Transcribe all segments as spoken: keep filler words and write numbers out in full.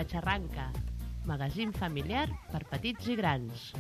La Xarranca, magazín familiar per petits i grans.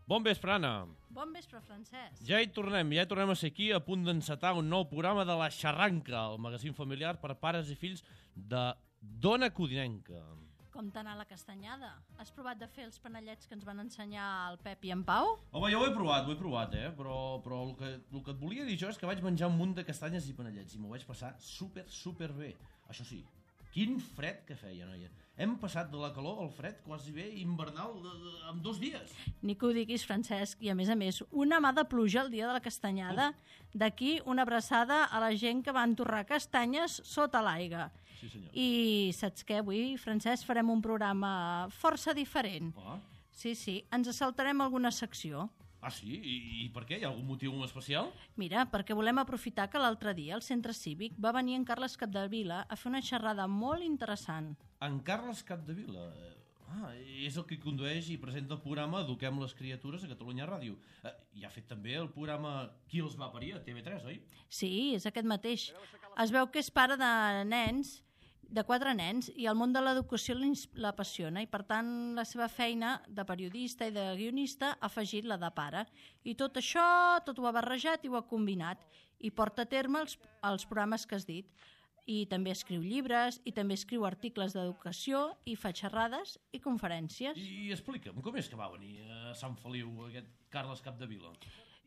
Bon vespre, Anna. Bon vespre, Francesc. Ja hi tornem, ja hi tornem a ser aquí a punt d'encetar un nou programa de La Xarranca, el magazín familiar per pares i fills de Dona Codinenca. Com t'ha la castanyada? Has provat de fer els panellets que ens van ensenyar el Pep i en Pau? Home, jo ho he provat, ho he provat, eh? Però, però el, que, el que et volia dir jo és que vaig menjar un munt de castanyes i panellets i m'ho vaig passar super, super bé. Això sí, quin fred que feia, noia. Hem passat de la calor al fred quasi bé invernal de, de, en dos dies. Ni que ho diguis, Francesc, i a més a més, una mà de pluja el dia de la castanyada. D'aquí una abraçada a la gent que va entorrar castanyes sota l'aigua. Sí, senyor. I saps què? Avui, Francesc, farem un programa força diferent. Ah. Sí, sí, ens saltarem alguna secció. Ah, sí? I, I per què? Hi ha algun motiu especial? Mira, perquè volem aprofitar que l'altre dia al centre cívic va venir en Carles Capdevila a fer una xerrada molt interessant. En Carles Capdevila? Ah, és el que condueix i presenta el programa Eduquem les criatures a Catalunya Ràdio. Eh, I ha fet també el programa Qui els va parir a T V tres, oi? Sí, és aquest mateix. Es veu que és pare de nens, de quatre nens, i el món de l'educació l'apassiona i, per tant, la seva feina de periodista i de guionista ha afegit la de pare. I tot això, tot ho ha barrejat i ho ha combinat i porta a terme els, els programes que has dit. I també escriu llibres, i també escriu articles d'educació, i fa xerrades i conferències. I explica'm, com és que va venir a Sant Feliu aquest Carles Capdevila?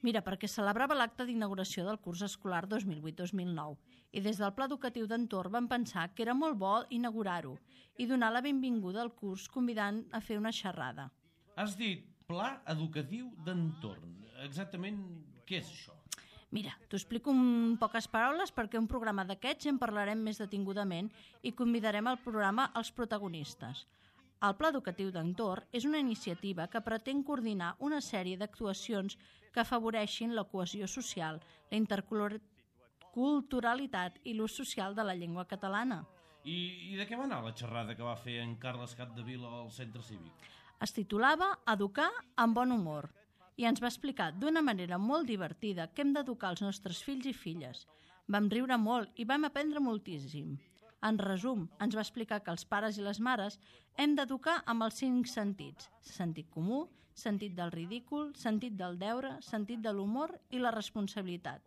Mira, perquè celebrava l'acte d'inauguració del curs escolar dos mil vuit dos mil nou i des del Pla Educatiu d'Entorn van pensar que era molt bo inaugurar-ho i donar la benvinguda al curs convidant a fer una xerrada. Has dit Pla Educatiu d'Entorn. Exactament què és això? Mira, t'ho explico en poques paraules perquè un programa d'aquests en parlarem més detingudament i convidarem al programa els protagonistes. El Pla Educatiu d'Entorn és una iniciativa que pretén coordinar una sèrie d'actuacions que afavoreixin la cohesió social, la interculturalitat i l'ús social de la llengua catalana. I, I de què va anar la xerrada que va fer en Carles Capdevila al centre cívic? Es titulava Educar amb bon humor i ens va explicar d'una manera molt divertida que hem d'educar els nostres fills i filles. Vam riure molt i vam aprendre moltíssim. En resum, ens va explicar que els pares i les mares hem d'educar amb els cinc sentits: sentit comú, sentit del ridícul, sentit del deure, sentit de l'humor i la responsabilitat.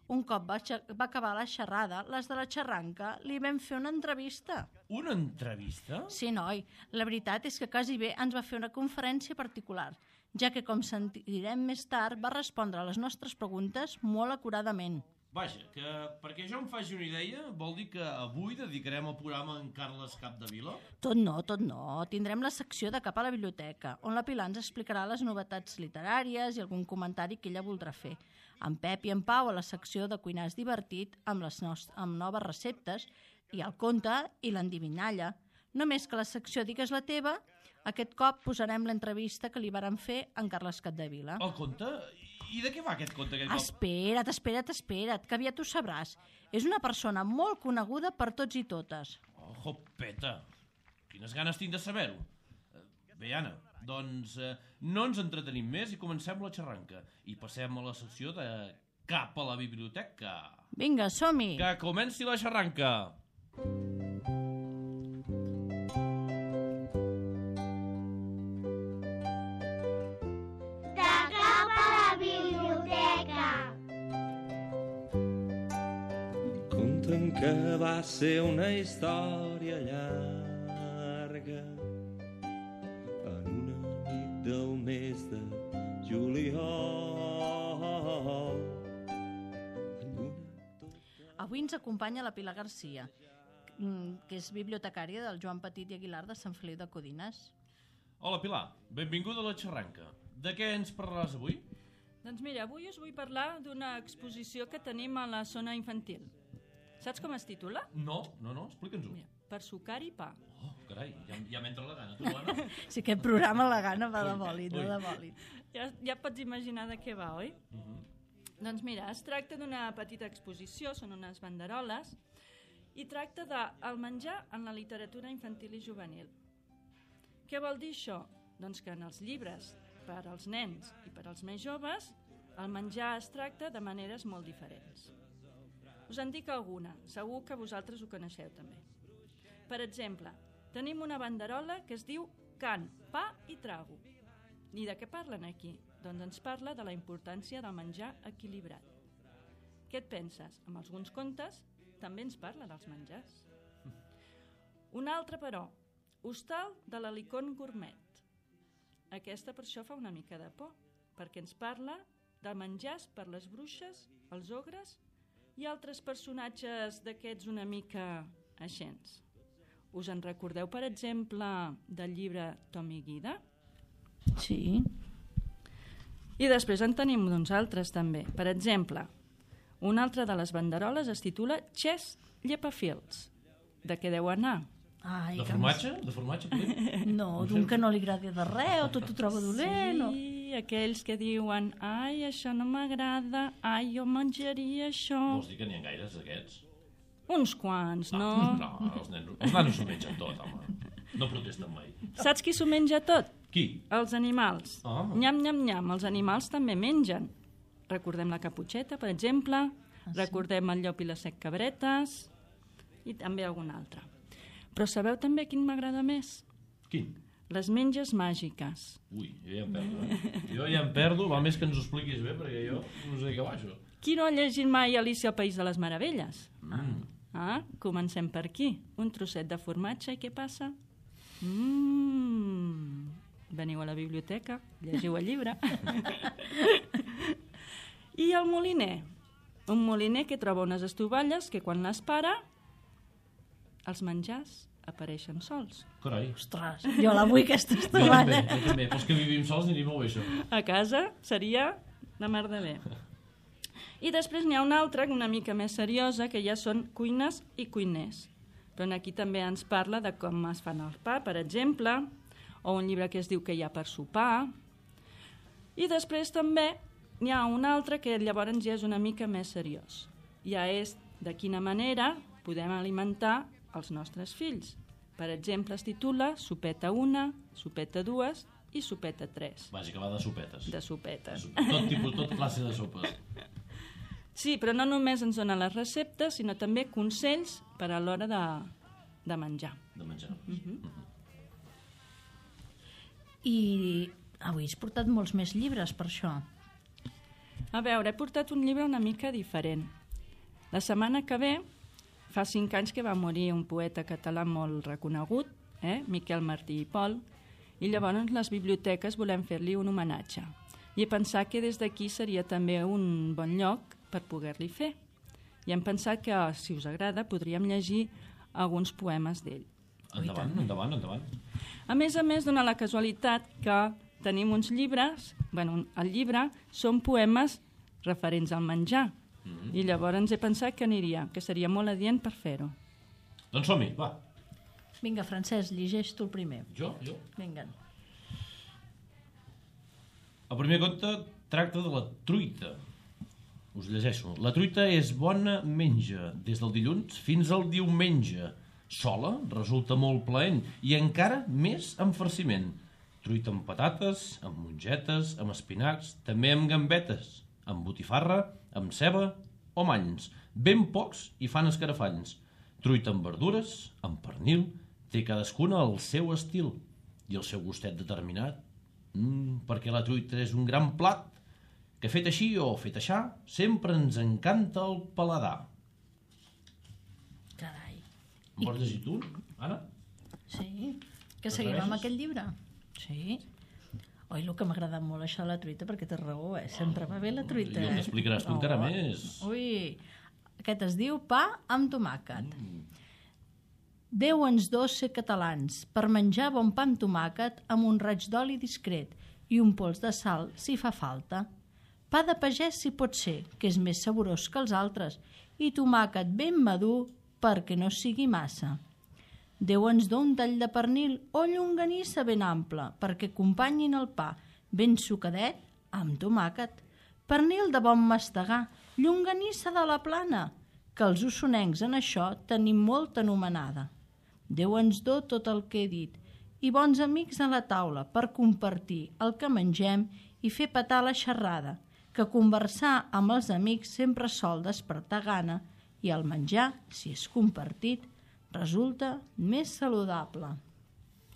Un cop va, va acabar la xerrada, les de la xarranca li vam fer una entrevista. Una entrevista? Sí, noi. La veritat és que quasi bé ens va fer una conferència particular, ja que, com sentirem més tard, va respondre a les nostres preguntes molt acuradament. Vaja, que perquè jo em faci una idea, vol dir que avui dedicarem el programa a en Carles Capdevila? Tot no, tot no. Tindrem la secció de Cap a la Biblioteca, on la Pilar ens explicarà les novetats literàries i algun comentari que ella voldrà fer. En Pep i en Pau a la secció de Cuinar és divertit, amb, les nost- amb noves receptes, i el conte i l'endivinalla. Només que la secció Digues la teva, aquest cop posarem l'entrevista que li varen fer a en Carles Capdevila. El conte? I de què va aquest conte aquest cop? Espera't, espera't, espera't, que aviat ho sabràs. És una persona molt coneguda per tots i totes. Oh, jopeta, quines ganes tinc de saber-ho. Bé, Anna, doncs eh, no ens entretenim més i comencem la xarranca. I passem a la secció de Cap a la Biblioteca. Vinga, som-hi! Que comenci la xarranca! Que va ser una història llarga en una nit del mes de juliol. Avui ens acompanya la Pilar Garcia, que és bibliotecària del Joan Petit i Aguilar de Sant Feliu de Codines. Hola, Pilar. Benvinguda a la xerranca. De què ens parlaràs avui? Doncs mira, avui us vull parlar d'una exposició que tenim a la zona infantil. Saps com es titula? No, no, no, explica'ns-ho. Mira, per sucar i pa. Oh, carai, ja, ja m'entra la gana, tu, Anna. Sí, aquest programa la gana va de bòlit, no de bòlit. Ja, ja pots imaginar de què va, oi? Uh -huh. Doncs mira, es tracta d'una petita exposició, són unes banderoles, i tracta del menjar en la literatura infantil i juvenil. Què vol dir això? Doncs que en els llibres per als nens i per als més joves el menjar es tracta de maneres molt diferents. Us en dic alguna, segur que vosaltres ho coneixeu també. Per exemple, tenim una banderola que es diu Can, pa i trago. I de què parlen aquí? Doncs ens parla de la importància del menjar equilibrat. Què et penses? Amb alguns contes també ens parla dels menjars. Un altre, però, Hostal de l'Helicon Gourmet. Aquesta per això fa una mica de por, perquè ens parla de menjars per les bruixes, els ogres i altres personatges d'aquests una mica aixents. Us en recordeu, per exemple, del llibre Tom i Guida? Sí. I després en tenim uns altres també. Per exemple, una altra de les banderoles es titula Chess Llepafils. De què deu anar? Ai, De que formatge? De formatge, Pilar? No, d'un que no li agradi de res, o tot ho troba dolent. o- Sí, aquells que diuen ai, això no m'agrada, ai, jo menjaria això. Vols dir que n'hi ha gaires, d'aquests? Uns quants, no? No, els nens, els nanos s'ho mengen tot, home. No protesten mai. Saps qui s'ho menja tot? Qui? Els animals. Ah. Nyam, nyam, nyam, els animals també mengen. Recordem la caputxeta, per exemple, Ah, sí? recordem el llop i les set cabretes, i també algun altre. Però sabeu també quin m'agrada més? Quin? Les menges màgiques. Ui, jo ja em perdo, eh? Jo ja em perdo, va més que ens ho expliquis bé, perquè jo no sé què va, això. Qui no ha llegit mai Alicia al País de les Meravelles? Mm. Ah, comencem per aquí. Un trosset de formatge i què passa? Mmm... Veniu a la biblioteca, llegiu el llibre. I el moliner. Un moliner que troba unes estovalles que quan les para, els menjars apareixen sols. Carai. Ostres, jo la vull aquesta Jo també, estovalla. jo també. Pels que vivim sols aniria molt bé, això. A casa seria la mar de bé. I després n'hi ha una altra, una mica més seriosa, que ja són cuines i cuiners. Però aquí també ens parla de com es fan el pa, per exemple, o un llibre que es diu Què hi ha per sopar. I després també n'hi ha un altre que llavors ja és una mica més seriós. Ja és de quina manera podem alimentar els nostres fills. Per exemple, es titula Sopeta una, Sopeta dues i Sopeta tres. Vaja, que va de sopetes. De sopetes. Tot tipus, tot classe de sopes. Sí, però no només ens dona les receptes, sinó també consells per a l'hora de, de menjar. De menjar. Mhm. I avui has portat molts més llibres per això. A veure, he portat un llibre una mica diferent. La setmana que ve, fa cinc anys que va morir un poeta català molt reconegut, eh? Miquel Martí i Pol, i llavors les biblioteques volem fer-li un homenatge. I he pensat que des d'aquí seria també un bon lloc per poder-li fer. I hem pensat que, si us agrada, podríem llegir alguns poemes d'ell. Endavant, endavant, endavant. A més a més, dona la casualitat que tenim uns llibres, bueno, el llibre són poemes referents al menjar, mm-hmm. i llavors he pensat que aniria, que seria molt adient per fer-ho. Doncs som-hi, va. Vinga, Francesc, llegeix tu el primer. Jo, jo. Vinga. El primer conte tracta de la truita. Us llegeixo. La truita és bona menja, des del dilluns fins al diumenge. Sola resulta molt plaent i encara més amb farciment. Truita amb patates, amb mongetes, amb espinacs, també amb gambetes, amb botifarra, amb ceba o manys. Ben pocs i fan escarafalls. Truita amb verdures, amb pernil, té cadascuna el seu estil i el seu gustet determinat. Mm, perquè la truita és un gran plat que fet així o fet aixà sempre ens encanta el paladar. Carai. Em vols llegir tu, Anna? Sí, que seguim amb aquest llibre. Sí. Oi, el que m'ha agradat molt això de la truita, perquè té raó, eh? Sempre va bé la truita. I el t'explicaràs tu encara més. Ui, aquest es diu pa amb tomàquet. Mm. Déu ens dos ser catalans, per menjar bon pa amb tomàquet amb un raig d'oli discret i un pols de sal si fa falta. Pa de pagès si pot ser, que és més saborós que els altres, i tomàquet ben madur perquè no sigui massa. Déu ens do un tall de pernil o llonganissa ben ample perquè acompanyin el pa ben sucadet amb tomàquet. Pernil de bon mastegar, llonganissa de la plana, que els ossonencs en això tenim molt anomenada. Déu ens do tot el que he dit i bons amics a la taula per compartir el que mengem i fer petar la xerrada, que conversar amb els amics sempre sol despertar gana i el menjar, si és compartit, resulta més saludable.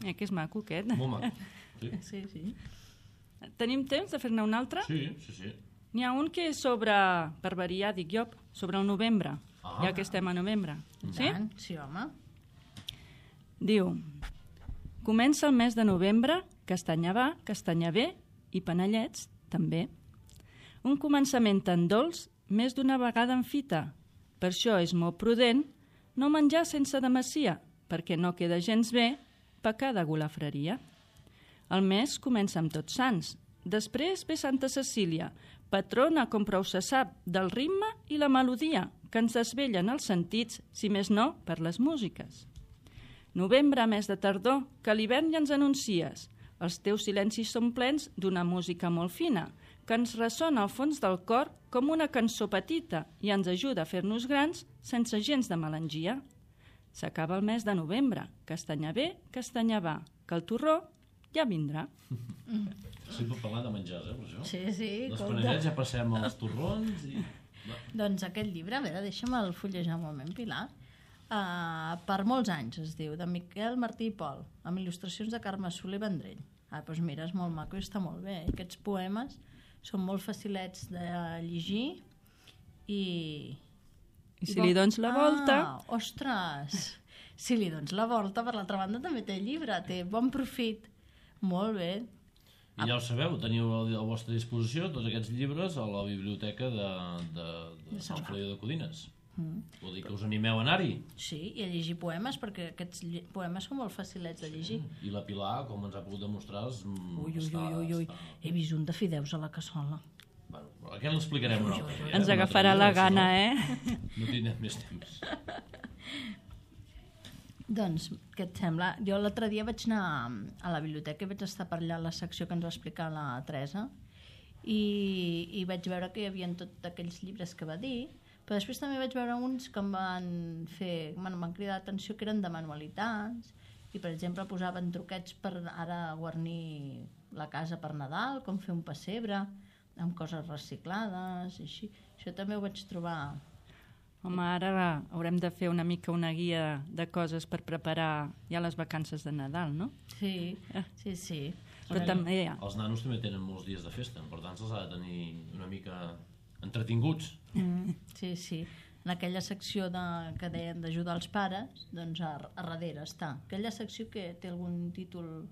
Eh, que és maco, aquest. Molt maco. Sí, Sí, sí. Tenim temps de fer-ne un altre? sí, sí. sí. N'hi ha un que és sobre, per variar, dic jo, sobre el novembre, Ah. ja que estem a novembre. Sí? Tant, sí, home. Diu, comença el mes de novembre, castanya va, castanya ve i panellets també. Un començament tan dolç, més d'una vegada en fita. Per això és molt prudent no menjar sense demassia, perquè no queda gens bé pecar de golafreria. El mes comença amb Tots Sants, després ve Santa Cecília, patrona, com prou se sap, del ritme i la melodia, que ens desvellen els sentits, si més no, per les músiques. Novembre, mes de tardor, que l'hivern ja ens anuncies. Els teus silencis són plens d'una música molt fina, que ens ressona al fons del cor com una cançó petita i ens ajuda a fer-nos grans sense gens de melangia. S'acaba el mes de novembre, castanya ve, castanya va, que el torró ja vindrà. Sempre parlant de menjars, eh, per això? Sí, sí. Dels compte. panellets ja passem als torrons i... Doncs aquest llibre, a veure, deixa'm el fullejar un moment, Pilar. Uh, per molts anys es diu, de Miquel Martí i Pol, amb il·lustracions de Carme Soler Vendrell. Ah, doncs mira, és molt maco i està molt bé. Aquests poemes són molt facilets de llegir i... I si li dones la volta... Ah, ostres! Si li dones la volta, per l'altra banda també té llibre, té bon profit. Molt bé. I ja ho sabeu, teniu a la vostra disposició tots aquests llibres a la biblioteca de, de, de Sant Feliu de Codines. Mm. Vol dir que us animeu a anar-hi. Sí, i a llegir poemes, perquè aquests lli- poemes són molt facilets de llegir. I la Pilar, com ens ha pogut demostrar, és, mm, Ui, ui, està, ui, ui, ui. està... He vist un de fideus a la cassola. Bueno, però aquest l'explicarem un altre dia. Ens un altre agafarà dia, la si gana, no, eh? No tindrem més temps. Doncs, què et sembla? Jo l'altre dia vaig anar a la biblioteca i vaig estar per allà a la secció que ens va explicar la Teresa i, i vaig veure que hi havia tots aquells llibres que va dir, però després també vaig veure uns que em van fer, bueno, m'han cridat l'atenció, que eren de manualitats i, per exemple, posaven truquets per ara guarnir la casa per Nadal, com fer un pessebre amb coses reciclades i així. Això també ho vaig trobar... Home, ara haurem de fer una mica una guia de coses per preparar ja les vacances de Nadal, no? Sí, sí, sí. Però també hi ha... Els nanos també tenen molts dies de festa, per tant se'ls ha de tenir una mica entretinguts. Mm, sí, sí. En aquella secció de, que deien d'ajudar els pares, doncs a, a darrere està. Aquella secció que té algun títol...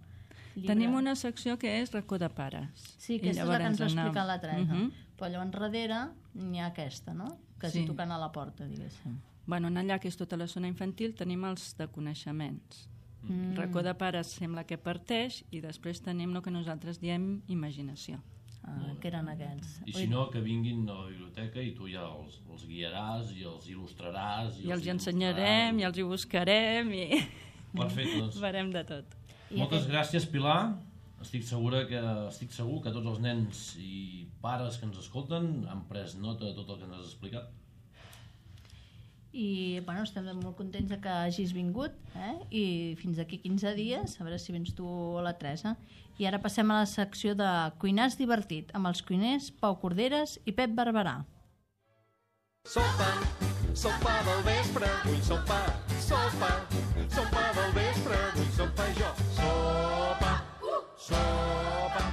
Llibre. Tenim una secció que és racó de pares. Sí, que I aquesta és la que ens va llavors explicar anam- la Teresa. Mhm. Però llavors darrere n'hi ha aquesta, no? Quasi Sí. tocant a la porta, diguéssim. Bueno, en allà, que és tota la zona infantil, tenim els de coneixements. Mm. Racó de pares sembla que parteix i després tenim el que nosaltres diem imaginació. Ah, que eren aquests. I si no, que vinguin a la biblioteca i tu ja els, els guiaràs i els il·lustraràs. I els hi ensenyarem, i els hi buscarem, i Perfecte, doncs. farem de tot. I Moltes aquest- gràcies, Pilar. Estic, segura que, estic segur que tots els nens i pares que ens escolten han pres nota de tot el que ens has explicat. I bueno, estem molt contents de que hagis vingut, eh? I fins d'aquí quinze dies, a veure si vens tu o la Teresa. I ara passem a la secció de Cuinars Divertit, amb els cuiners Pau Corderes i Pep Barberà. Sopa, sopa del vespre, vull sopa, sopa, sopa del vespre, vull sopa jo. Sopa, sopa,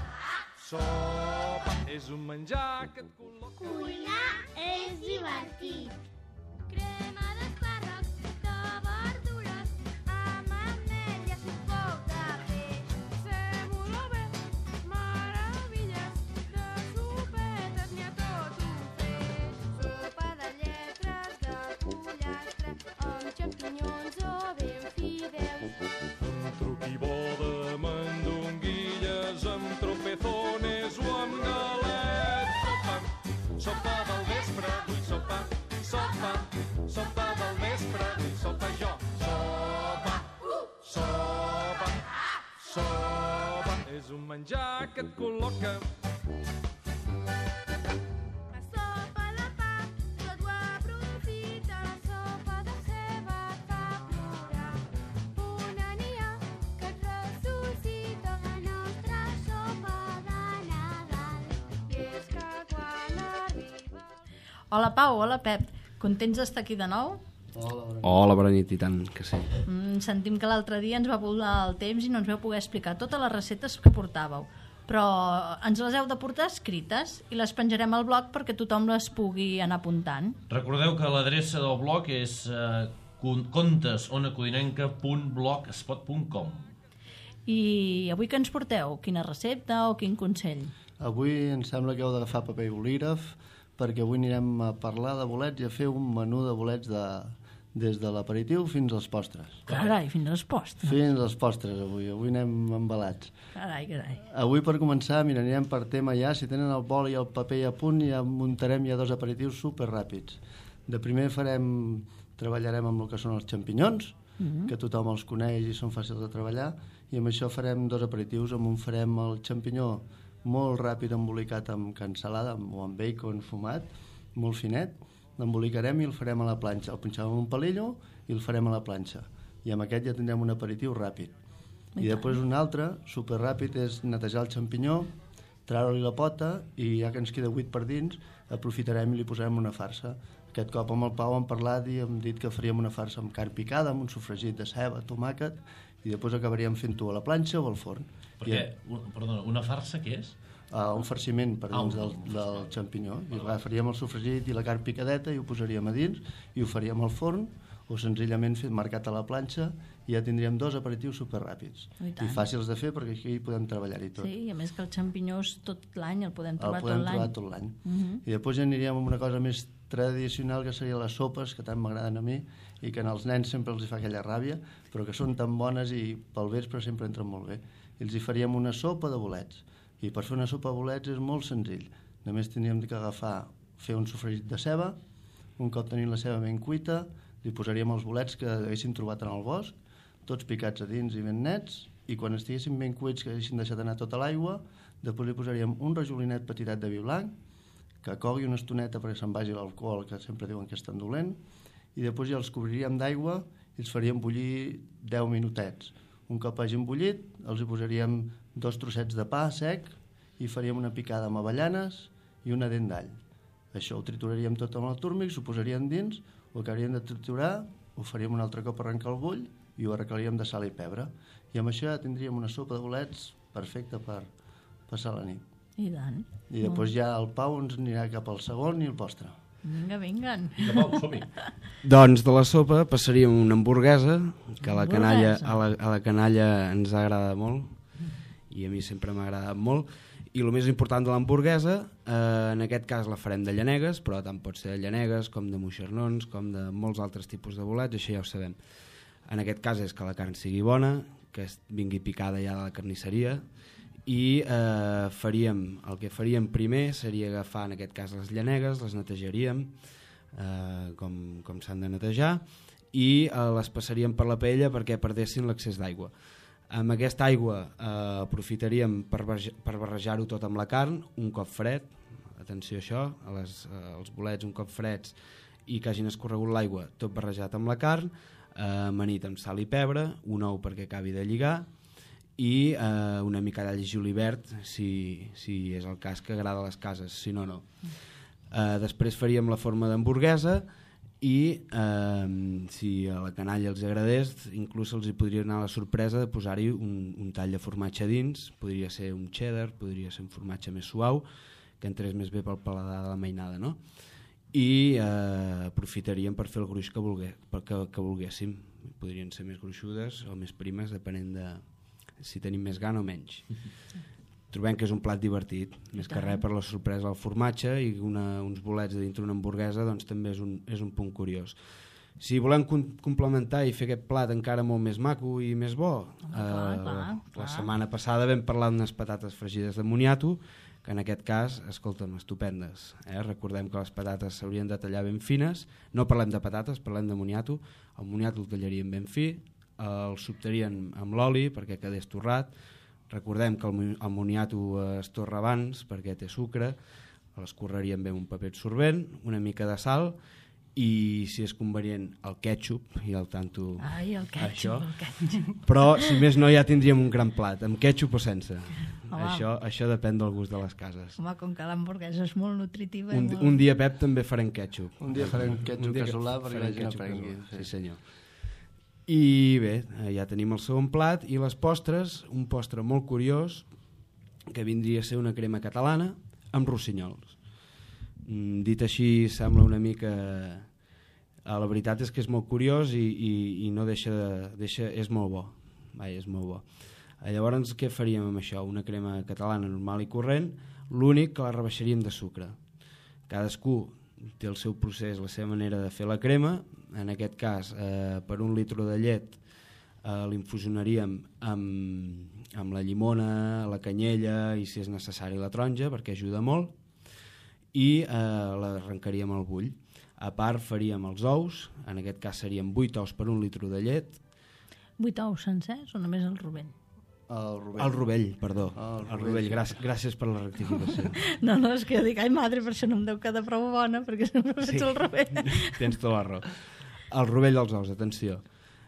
sopa, és un menjar que et col·loca. Cuinar és divertit. Crema d'espàrrecs, de verdures, amb ametlles i un poc de peix. Sèmola bé, meravelles, de sopetes n'hi ha tot un feix. Sopa de lletres, de pollastre, amb xampinyons o ben fills. és un menjar que et col·loca. La sopa de pa, tot ho aprofita. La sopa de ceba et fa plorar. Una n'hi ha que et ressuscita, la nostra sopa de Nadal. I és que quan arriba... Hola Pau, hola Pep. Contents d'estar aquí de nou? Hola, bona nit, i tant que sí. Mm, sentim que l'altre dia ens va volar el temps i no ens vau poder explicar totes les receptes que portàveu. Però ens les heu de portar escrites i les penjarem al blog perquè tothom les pugui anar apuntant. Recordeu que l'adreça del blog és eh, contesonacodinenca punt blogspot punt com. I avui que ens porteu? Quina recepta o quin consell? Avui em sembla que heu d'agafar paper i bolígraf perquè avui anirem a parlar de bolets i a fer un menú de bolets de, des de l'aperitiu fins als postres. Carai, fins als postres. Fins als postres avui, avui anem embalats. Carai, carai. Avui per començar, mira, anirem per tema ja, si tenen el bol i el paper a punt ja muntarem ja dos aperitius super ràpids. De primer farem, treballarem amb el que són els xampinyons, mm-hmm. que tothom els coneix i són fàcils de treballar, i amb això farem dos aperitius, amb un farem el xampinyó molt ràpid embolicat amb cansalada o amb bacon fumat, molt finet, l'embolicarem i el farem a la planxa. El punxem en un palillo i el farem a la planxa. I amb aquest ja tindrem un aperitiu ràpid. I, I després un altre, super ràpid, és netejar el xampinyó, treure-li la pota i ja que ens queda buit per dins, aprofitarem i li posarem una farsa. Aquest cop amb el Pau hem parlat i hem dit que faríem una farsa amb carn picada, amb un sofregit de ceba, tomàquet, i després acabaríem fent-ho a la planxa o al forn. Perquè, I, perdona, una farsa què és? Uh, un farciment per dins del, del xampinyó. I agafaríem el sofregit i la carn picadeta i ho posaríem a dins i ho faríem al forn o senzillament fet marcat a la planxa i ja tindríem dos aperitius superràpids. I, I fàcils de fer perquè aquí podem treballar-hi tot. Sí, i a més que el xampinyó és tot l'any, el podem trobar el podem tot l'any. trobar tot l'any. Uh-huh. I després ja aniríem amb una cosa més tradicional que serien les sopes, que tant m'agraden a mi i que als nens sempre els hi fa aquella ràbia, però que són tan bones i pel vespre sempre entren molt bé. I els hi faríem una sopa de bolets. I per fer una sopa de bolets és molt senzill. Només tindríem que agafar, fer un sofregit de ceba, un cop tenim la ceba ben cuita, li posaríem els bolets que haguéssim trobat en el bosc, tots picats a dins i ben nets, i quan estiguessin ben cuits, que haguessin deixat anar tota l'aigua, després li posaríem un rajolinet petitet de vi blanc, que cogui una estoneta perquè se'n vagi l'alcohol, que sempre diuen que és tan dolent, i després ja els cobriríem d'aigua i els faríem bullir deu minutets. Un cop hagin bullit, els hi posaríem dos trossets de pa sec i faríem una picada amb avellanes i una dent d'all. Això ho trituraríem tot amb el túrmix, ho posaríem dins, ho acabaríem de triturar, ho faríem un altre cop arrencar el bull i ho arreglaríem de sal i pebre. I amb això ja tindríem una sopa de bolets perfecta per passar la nit. I tant. I després ja el Pau ens anirà cap al segon i el postre. Vinga, vinguen. Vinga, Pau, som-hi. Doncs de la sopa passaríem una hamburguesa, que a la, canalla, Hamburguesa. a, la, a la canalla ens agrada molt, i a mi sempre m'ha agradat molt. I el més important de l'hamburguesa, eh, en aquest cas la farem de llanegues, però tant pot ser de llanegues com de moixernons, com de molts altres tipus de bolets, això ja ho sabem. En aquest cas és que la carn sigui bona, que es vingui picada ja de la carnisseria, i eh, faríem, el que faríem primer seria agafar en aquest cas les llanegues, les netejaríem eh, com, com s'han de netejar i eh, les passaríem per la paella perquè perdessin l'accés d'aigua. Amb aquesta aigua eh, aprofitaríem per, barge, per barrejar-ho tot amb la carn un cop fred, atenció a això, a les, eh, els bolets un cop freds i que hagin escorregut l'aigua, tot barrejat amb la carn, eh, amanit amb sal i pebre, un ou perquè acabi de lligar i eh, una mica d'all i julivert si, si és el cas que agrada a les cases, si no, no. Eh, després faríem la forma d'hamburguesa i eh, si a la canalla els agradés, inclús els hi podria anar la sorpresa de posar-hi un, un tall de formatge dins, podria ser un cheddar, podria ser un formatge més suau, que entrés més bé pel paladar de la mainada, no? I eh, aprofitaríem per fer el gruix que, volgué, que, que volguéssim. Podrien ser més gruixudes o més primes, depenent de si tenim més gana o menys. Trobem que és un plat divertit, més que res per la sorpresa del formatge, i una, uns bolets dintre una hamburguesa doncs, també és un, és un punt curiós. Si volem com complementar i fer aquest plat encara molt més maco i més bo, Home, clar, eh, clar, la, clar. la setmana passada vam parlar d'unes patates fregides de moniato, que en aquest cas, escolta'm, estupendes. Eh? Recordem que les patates s'haurien de tallar ben fines, no parlem de patates, parlem de moniato, el moniato el tallaríem ben fi, el sobtarien amb l'oli perquè quedés torrat, Recordem que el, mo- el moniato es torra abans perquè té sucre, l'escorreríem bé amb un paper absorbent, una mica de sal i, si és convenient, el ketchup i el tanto... Ai, el ketchup, això. el ketchup. Però, si més no, ja tindríem un gran plat, amb ketchup o sense. Home. Això, això depèn del gust de les cases. Home, com que l'hamburguesa és molt nutritiva... i Un, molt... un dia, Pep, també farem ketchup. Un dia farem ketchup Un dia casolà perquè farem la gent ketchup aprengui. casolà, sí, senyor. I bé, eh, ja tenim el segon plat i les postres, un postre molt curiós que vindria a ser una crema catalana amb rossinyols. Mm, dit així sembla una mica... Eh, la veritat és que és molt curiós i, i, i no deixa de... Deixa, és molt bo. Vai, és molt bo. Eh, llavors, què faríem amb això? Una crema catalana normal i corrent, l'únic que la rebaixaríem de sucre. Cadascú té el seu procés, la seva manera de fer la crema. En aquest cas, eh, per un litre de llet eh, l'infusionaríem amb, amb la llimona, la canyella i, si és necessari, la taronja, perquè ajuda molt, i eh, l'arrencaríem al bull. A part faríem els ous, en aquest cas serien vuit ous per un litre de llet. Vuit ous sencers o només el rovell? El rovell. El rovell, perdó. El El rovell. rovell, gràcies, gràcies per la rectificació. No, no, és que jo dic, ai madre, per això no em deu quedar prou bona, perquè sempre faig el rovell. Tens tota la raó. El rovell dels ous, atenció.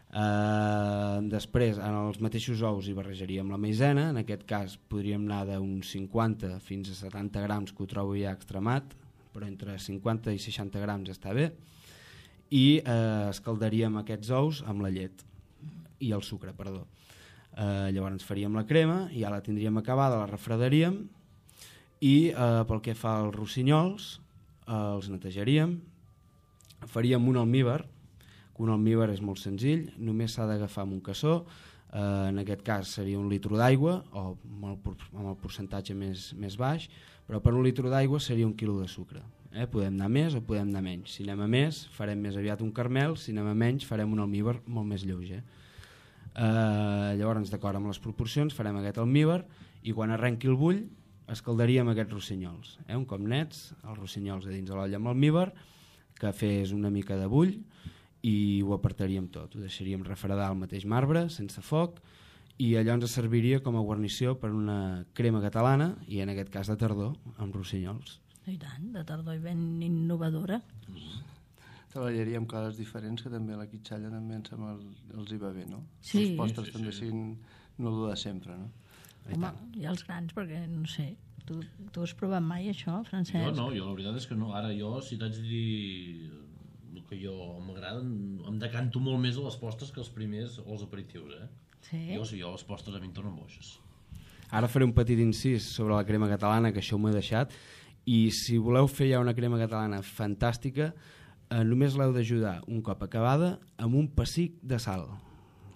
Uh, després, en els mateixos ous hi barrejaríem la maïzena. En aquest cas podríem anar d'uns cinquanta fins a setanta grams, que ho trobo ja extremat, però entre cinquanta i seixanta grams està bé, i uh, escaldaríem aquests ous amb la llet i el sucre, perdó. Uh, llavors faríem la crema, ja la tindríem acabada, la refredaríem, i uh, pel que fa als rossinyols, uh, els netejaríem, faríem un almíbar. Un almíbar és molt senzill, només s'ha d'agafar amb un cassó, eh, en aquest cas seria un litre d'aigua, o amb el, amb el percentatge més, més baix, però per un litre d'aigua seria un quilo de sucre. Eh? Podem anar més o podem anar menys. Si anem a més, farem més aviat un caramel, si anem a menys, farem un almíbar molt més lleuger. Eh, llavors, d'acord amb les proporcions, farem aquest almíbar i quan arrenqui el bull, escaldaríem aquests rossinyols. Eh? Un cop nets, els rossinyols a dins de l'olla amb almíbar, que fes una mica de bull, i ho apartaríem tot, ho deixaríem refredar al mateix marbre, sense foc, i allò ens serviria com a guarnició per una crema catalana, i en aquest cas de tardor, amb rossinyols. I tant, de tardor i ben innovadora. Treballaríem coses diferents, que també a la quitxalla també em sembla els hi va bé, no? Sí. Els postres Sí, sí, també sí. siguin no el de sempre, no? Home, i els grans, perquè no sé, tu, tu has provat mai això, Francesc? Jo no, jo la veritat és que no. Ara jo, si t'haig de dir el que jo m'agrada, em decanto molt més a les postres que els primers o els aperitius, eh? Sí? Jo, sí, jo les postres a mi em tornen boixes. Ara faré un petit incís sobre la crema catalana, que això m'ho he deixat, i si voleu fer ja una crema catalana fantàstica, eh, només l'heu d'ajudar un cop acabada amb un pessic de sal.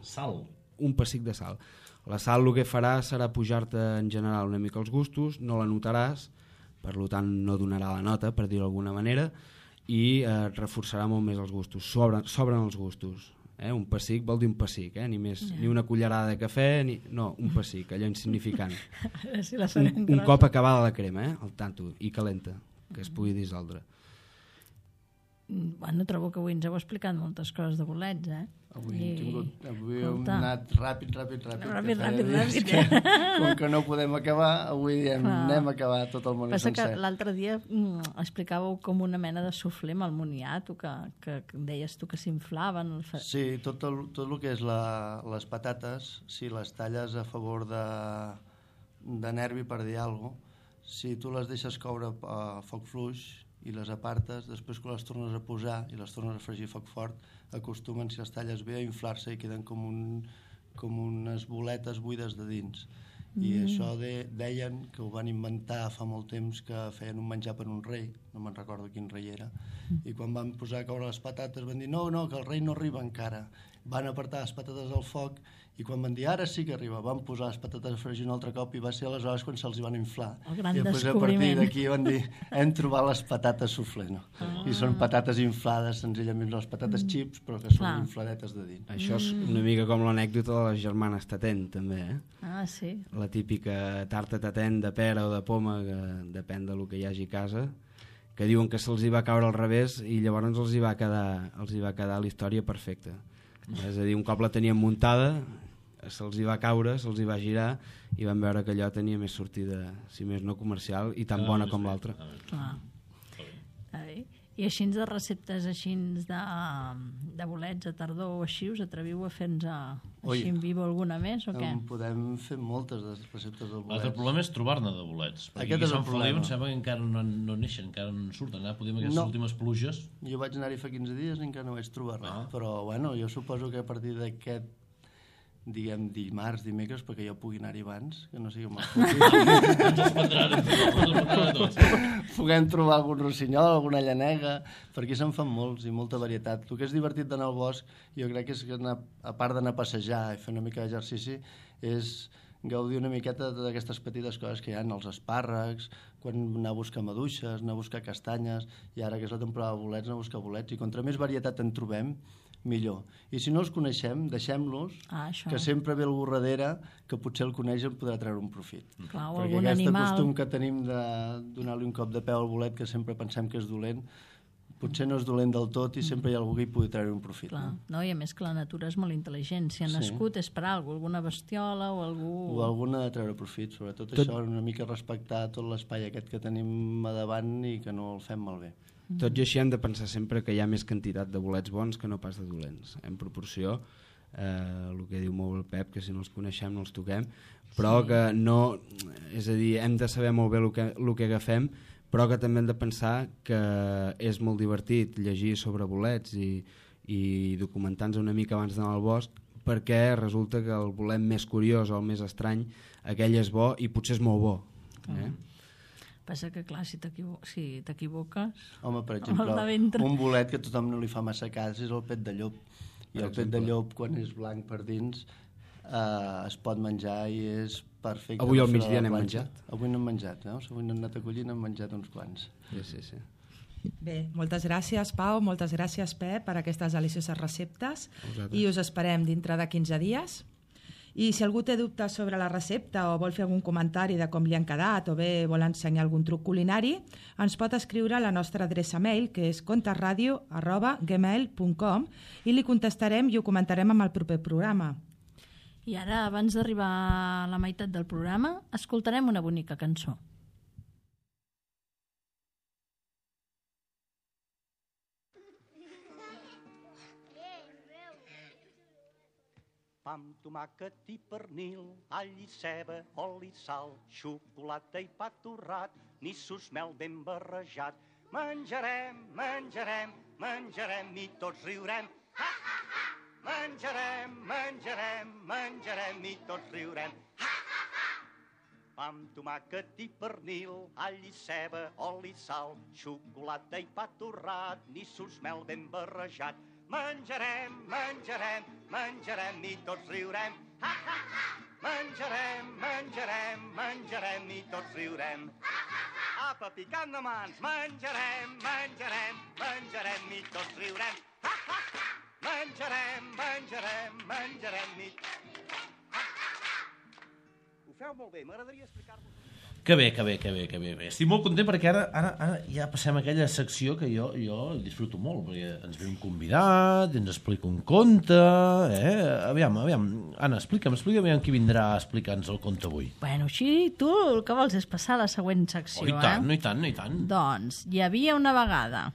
Sal. Un pessic de sal. La sal el que farà serà pujar-te en general una mica els gustos, no la notaràs, per tant no donarà la nota, per dir-ho d'alguna manera, i eh, reforçarà molt més els gustos. Sobren, sobren els gustos. Eh? Un pessic vol dir un pessic, eh? ni, més, Ja. ni una cullerada de cafè, ni... no, un pessic, allò insignificant. A veure si la un, farem un grossa. cop acabada la crema, eh? El tanto, i calenta, que es pugui dissoldre. Bueno, trobo que avui ens heu explicat moltes coses de bolets, eh? Avui hem, tingut, avui hem Escolta. anat ràpid, ràpid, ràpid. Ràpid, que feia ràpid, dies ràpid. Que, com que no podem acabar, avui diem, Clar. anem a acabar tot el món Passa que sencer. l'altre dia mm, explicàveu com una mena de suflé amb el moniato, que, que, que deies tu que s'inflaven. El fa... Sí, tot el, tot el que és la, les patates, si les talles a favor de, de nervi, per dir alguna cosa, si tu les deixes coure a foc fluix i les apartes, després quan les tornes a posar i les tornes a fregir a foc fort, acostumen, si les talles bé, a inflar-se i queden com, un, com unes boletes buides de dins. I Mm. això de, deien que ho van inventar fa molt temps, que feien un menjar per un rei, no me'n recordo quin rei era, i quan van posar a caure les patates van dir no, no, que el rei no arriba encara. Van apartar les patates al foc i quan van dir ara sí que arriba, van posar les patates a fregir un altre cop i va ser aleshores quan se'ls hi van inflar. El gran I després a partir descobriment. d'aquí van dir hem trobat les patates suflé, no? Ah. I són patates inflades, senzillament les patates xips, però que són Clar. infladetes de dins. Això és una mica com l'anècdota de les germanes Tatent, també, eh? Ah, sí. La típica tarta Tatent de pera o de poma, que depèn del que hi hagi a casa, que diuen que se'ls hi va caure al revés i llavors els hi va quedar, els hi va quedar la història perfecta. És a dir, un cop la teníem muntada, se'ls hi va caure, se'ls hi va girar i van veure que allò tenia més sortida, si més no comercial, i tan bona com l'altra. Clar. I així de receptes així de, de bolets a tardor o així, us atreviu a fer-nos així en vivo alguna més o què? En podem fer moltes de receptes de bolets. L'altre problema és trobar-ne de bolets. Perquè aquí a Sant Feliu em sembla que encara no, no neixen, encara no surten. Eh? Podem aquestes no. últimes pluges. Jo vaig anar-hi fa quinze dies i encara no vaig trobar res. Ah. Però bueno, jo suposo que a partir d'aquest diguem dimarts, dimecres, perquè jo pugui anar-hi abans, que no sigui mal ens els prendran a tots. Puguem trobar algun rossinyol, alguna llanega, per aquí se'n fan molts i molta varietat. El que és divertit d'anar al bosc, jo crec que és que anar, a part d'anar a passejar i fer una mica d'exercici, és gaudir una miqueta d'aquestes petites coses que hi ha, els espàrrecs, quan anar a buscar maduixes, anar a buscar castanyes, i ara que és la temporada de bolets, anar a buscar bolets, i contra més varietat en trobem, millor. I si no els coneixem, deixem-los, ah, que sempre ve algú darrere que potser el coneix i en podrà treure un profit. Clar, perquè algun aquest animal... costum que tenim de donar-li un cop de peu al bolet, que sempre pensem que és dolent, potser no és dolent del tot i sempre hi ha algú que hi pugui treure un profit. Clar, no? no? I a més que la natura és molt intel·ligent. Si ha sí. nascut és per alguna, alguna bestiola o algú... O alguna de treure profit, sobretot tot... això, una mica respectar tot l'espai aquest que tenim a davant i que no el fem malbé. Tot i així hem de pensar sempre que hi ha més quantitat de bolets bons que no pas de dolents. En proporció, eh, el que diu molt el Pep, que si no els coneixem no els toquem, però sí. que no... És a dir, hem de saber molt bé el que, el que agafem, però que també hem de pensar que és molt divertit llegir sobre bolets i, i documentar-nos una mica abans d'anar al bosc, perquè resulta que el bolet més curiós o el més estrany, aquell és bo i potser és molt bo. Eh? Mm. Passa que, clar, si t'equivoques... Si t'equivoques Home, per exemple, un bolet que a tothom no li fa massa cas és el pet de llop. I per el exemple. Pet de llop, quan és blanc per dins, eh, es pot menjar i és perfecte. Avui al migdia n'hem menjat. Avui n'hem menjat, no? Avui n'hem anat a collir i n'hem menjat uns quants. Sí, sí, sí. Bé, moltes gràcies, Pau, moltes gràcies, Pep, per aquestes delicioses receptes. I us esperem dintre de quinze dies. I si algú té dubtes sobre la recepta o vol fer algun comentari de com li han quedat o bé vol ensenyar algun truc culinari, ens pot escriure a la nostra adreça mail, que és contesradio arroba gmail punt com, i li contestarem i ho comentarem amb el proper programa. I ara, abans d'arribar a la meitat del programa, escoltarem una bonica cançó. Pa amb tomàquet i pernil, all i ceba, oli, sal, xocolata i pa torrat, nissos, mel ben barrejat. Menjarem, menjarem, menjarem i tots riurem. Ha, ha, ha! Menjarem, menjarem, menjarem i tots riurem. Ha, ha, ha! Pa amb tomàquet i pernil, all i ceba, oli, sal, xocolata i pa torrat, nissos, mel ben barrejat. Menjarem, menjarem, menjarem i tots riurem. Ha, ha, ha! Menjarem, menjarem, menjarem i tots riurem. Ha, ha, ha! Apa, picant de mans, menjarem, menjarem, menjarem i tots riurem. Ha, ha, ha! Menjarem, menjarem, menjarem i... Ha, ha, ha! Ho feu molt bé, m'agradaria explicar-vos... Que bé, que bé, que bé, que bé, bé. Estic molt content perquè ara, ara, ara ja passem a aquella secció que jo, jo disfruto molt, perquè ens ve un convidat, ens explica un conte, eh? Aviam, aviam, Anna, explica'm, explica'm aviam qui vindrà a explicar-nos el conte avui. Bueno, així tu el que vols és passar a la següent secció, oh, i tant, eh? No, i tant, no, i tant. Doncs, hi havia una vegada...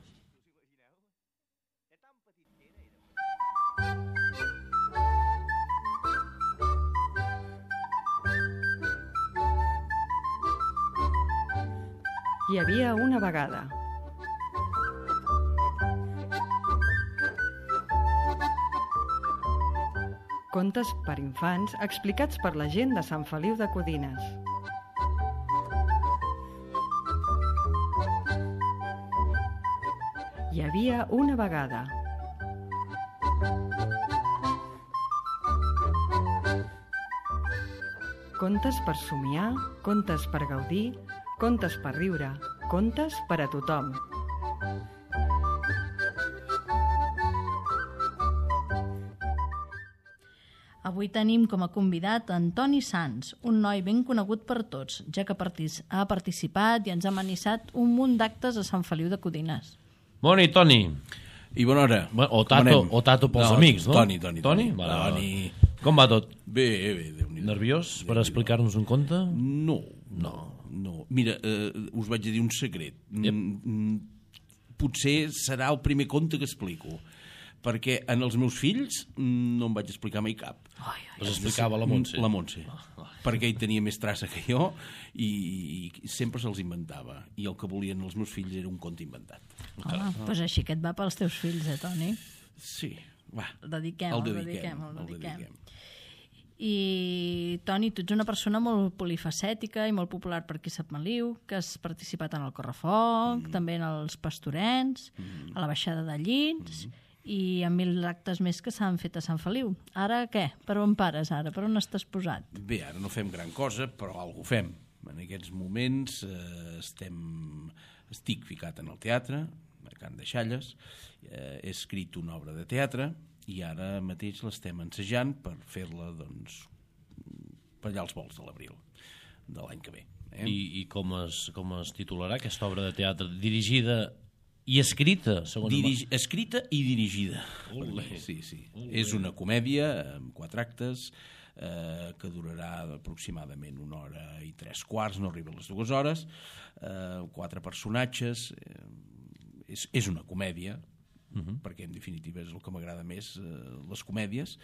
Hi havia una vegada. Contes per infants explicats per la gent de Sant Feliu de Codines. Hi havia una vegada. Contes per somiar, contes per gaudir, contes per riure, contes per a tothom. Avui tenim com a convidat Antoni Sans, un noi ben conegut per tots, ja que ha participat i ens ha amenitzat un munt d'actes a Sant Feliu de Codines. Bona nit, Toni. I bona hora. O Tato, o tato pels no, amics, no? Toni, Toni. Toni? Toni. Vale, Toni. Com va tot? Bé, bé, Déu-n'hi-do. Nerviós per explicar-nos un conte? No, no, no. Mira, eh, us vaig a dir un secret. Yep. Mm, potser serà el primer conte que explico, perquè en els meus fills no em vaig explicar mai cap. Ai, ai, els explicava la Montse. La Montse, oh, oh. perquè ell tenia més traça que jo i, i sempre se'ls inventava. I el que volien els meus fills era un conte inventat. Home, doncs pues així que et va pels teus fills, eh, Toni? Sí, va. El dediquem, el el dediquem. dediquem, el el dediquem. dediquem. I, Toni, tu ets una persona molt polifacètica i molt popular per aquí a Sant Meliu, que has participat en el Correfoc, mm. també en els Pastorens, mm. a la baixada de Llits, mm. i en mil actes més que s'han fet a Sant Feliu. Ara què? Per on pares ara? Per on estàs posat? Bé, ara no fem gran cosa, però alguna fem. En aquests moments eh, estem... estic ficat en el teatre, a Can de Xalles, eh, he escrit una obra de teatre, i ara mateix l'estem ensejant per fer-la, doncs, per allà als volts de l'abril de l'any que ve. Eh? I, i com, es, com es titularà aquesta obra de teatre? Dirigida i escrita? Dirigi, escrita i dirigida. Olé. Sí, sí. Olé. És una comèdia amb quatre actes eh, que durarà aproximadament una hora i tres quarts, no arriba a les dues hores, eh, quatre personatges, eh, és, és una comèdia, Uh -huh. perquè en definitiva és el que m'agrada més, eh, les comèdies.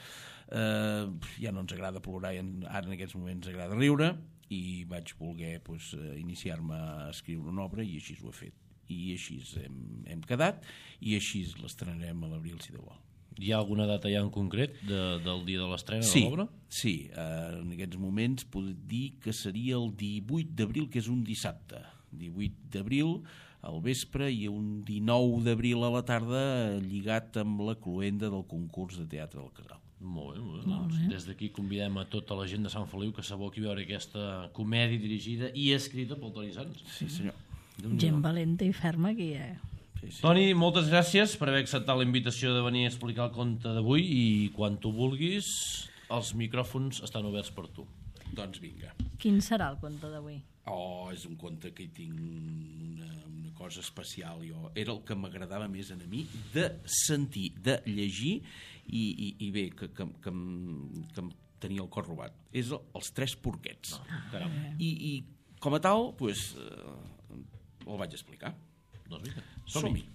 Eh, ja no ens agrada plorar, ara en aquests moments ens agrada riure, i vaig voler pues, iniciar-me a escriure una obra i així ho he fet. I així hem, hem quedat, i així l'estrenarem a l'abril, si Déu vol. Hi ha alguna data ja en concret de, del dia de l'estrena sí, de l'obra? Sí, eh, en aquests moments puc dir que seria el divuit d'abril, que és un dissabte. divuit d'abril al vespre i un dinou d'abril a la tarda, lligat amb la cloenda del concurs de teatre del Casal. Molt bé, molt bé. Molt bé. Des d'aquí convidem a tota la gent de Sant Feliu que s'aboqui a veure aquesta comèdia dirigida i escrita pel Toni Sans. Sí, senyor. Gent valenta i ferma aquí, eh? Sí, sí. Toni, moltes gràcies per haver acceptat la invitació de venir a explicar el conte d'avui, i quan tu vulguis els micròfons estan oberts per tu. Doncs vinga. Quin serà el conte d'avui? Oh, és un conte que hi tinc una, una cosa especial. Jo. Era el que m'agradava més a mi de sentir, de llegir, i, i, i bé, que, que, que, que em tenia el cor robat. És el, els Tres Porquets. Ah, I, I com a tal, pues, eh, el vaig explicar. Doncs vinga, som-hi.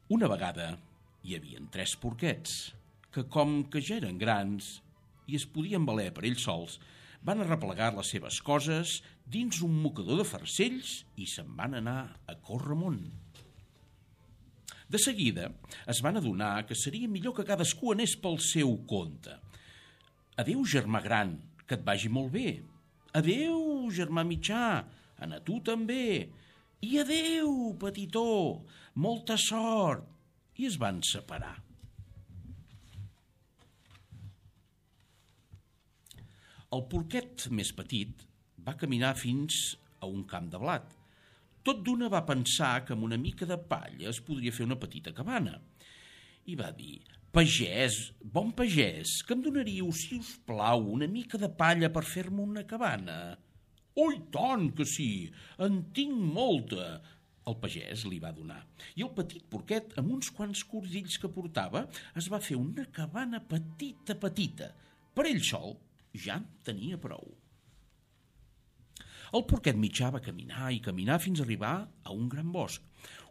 Una vegada hi havia tres porquets que, com que ja eren grans i es podien valer per ells sols, van arreplegar les seves coses dins un mocador de farcells i se'n van anar a córrer amunt. De seguida es van adonar que seria millor que cadascú anés pel seu compte. Adéu, germà gran, que et vagi molt bé. Adéu, germà mitjà, a tu també. I adéu, petitó, molta sort. I es van separar. El porquet més petit va caminar fins a un camp de blat. Tot d'una va pensar que amb una mica de palla es podria fer una petita cabana. I va dir: pagès, bon pagès, que em donaríeu, si us plau, una mica de palla per fer-me una cabana? Oh, i tant que sí, en tinc molta. El pagès li va donar. I el petit porquet, amb uns quants cordills que portava, es va fer una cabana petita, petita. Per ell sol ja en tenia prou. El porquet mitjà va caminar i caminar fins a arribar a un gran bosc.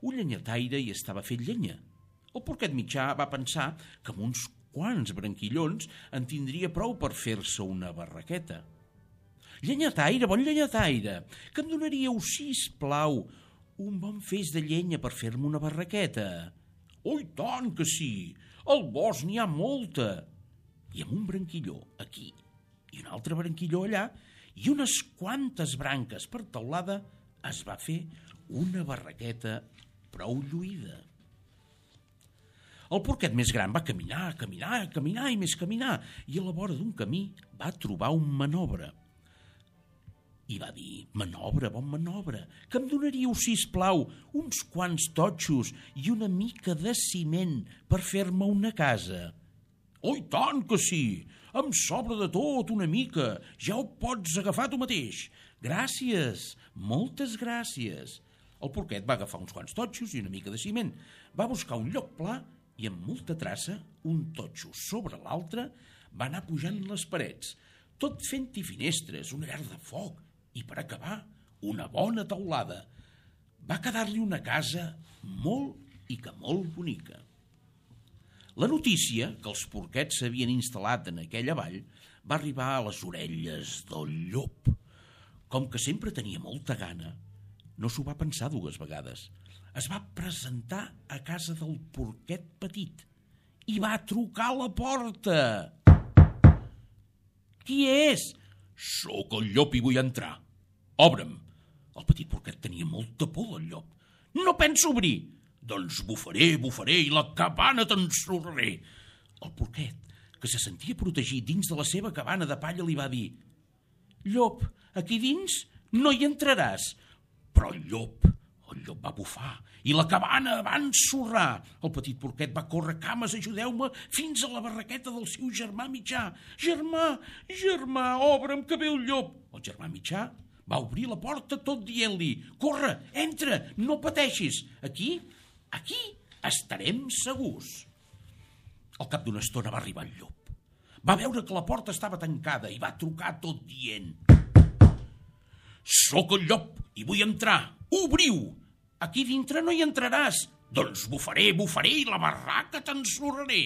Un llenyataire hi estava fent llenya. El porquet mitjà va pensar que amb uns quants branquillons en tindria prou per fer-se una barraqueta. Llenyataire, bon llenyataire, que em donaríeu, sisplau, un bon feix de llenya per fer-me una barraqueta? Oh, i tant que sí, al bosc n'hi ha molta. I amb un branquilló aquí i un altre branquilló allà i unes quantes branques per teulada es va fer una barraqueta prou lluïda. El porquet més gran va caminar, caminar, caminar i més caminar, i a la vora d'un camí va trobar un manobre. I va dir: manobre, bon manobre, que em donaríeu, sisplau, uns quants totxos i una mica de ciment per fer-me una casa? Oh, i tant que sí! Em sobra de tot una mica. Ja ho pots agafar tu mateix. Gràcies, moltes gràcies. El porquet va agafar uns quants totxos i una mica de ciment. Va buscar un lloc pla i amb molta traça un totxo sobre l'altre, va anar pujant les parets, tot fent-hi finestres, una llar de foc i, per acabar, una bona teulada. Va quedar-li una casa molt i que molt bonica. La notícia que els porquets s'havien instal·lat en aquella vall va arribar a les orelles del llop. Com que sempre tenia molta gana, no s'ho va pensar dues vegades. Es va presentar a casa del porquet petit i va trucar a la porta. Qui és? Sóc el llop i vull entrar. Obre'm. El petit porquet tenia molta por del llop. No penso obrir. Doncs bufaré, bufaré i la cabana t'ensorraré. El porquet, que se sentia protegit dins de la seva cabana de palla, li va dir: Llop, aquí dins no hi entraràs. Però el llop, el llop va bufar i la cabana va ensorrar. El petit porquet va córrer: cames, ajudeu-me, fins a la barraqueta del seu germà mitjà. Germà, germà, obre'm que ve el llop. El germà mitjà va obrir la porta tot dient-li: corre, entra, no pateixis. Aquí, aquí estarem segurs. Al cap d'una estona va arribar el llop. Va veure que la porta estava tancada i va trucar tot dient: Sóc el llop i vull entrar. Obriu! Aquí dintre no hi entraràs. Doncs bufaré, bufaré i la barraca t'ensorraré.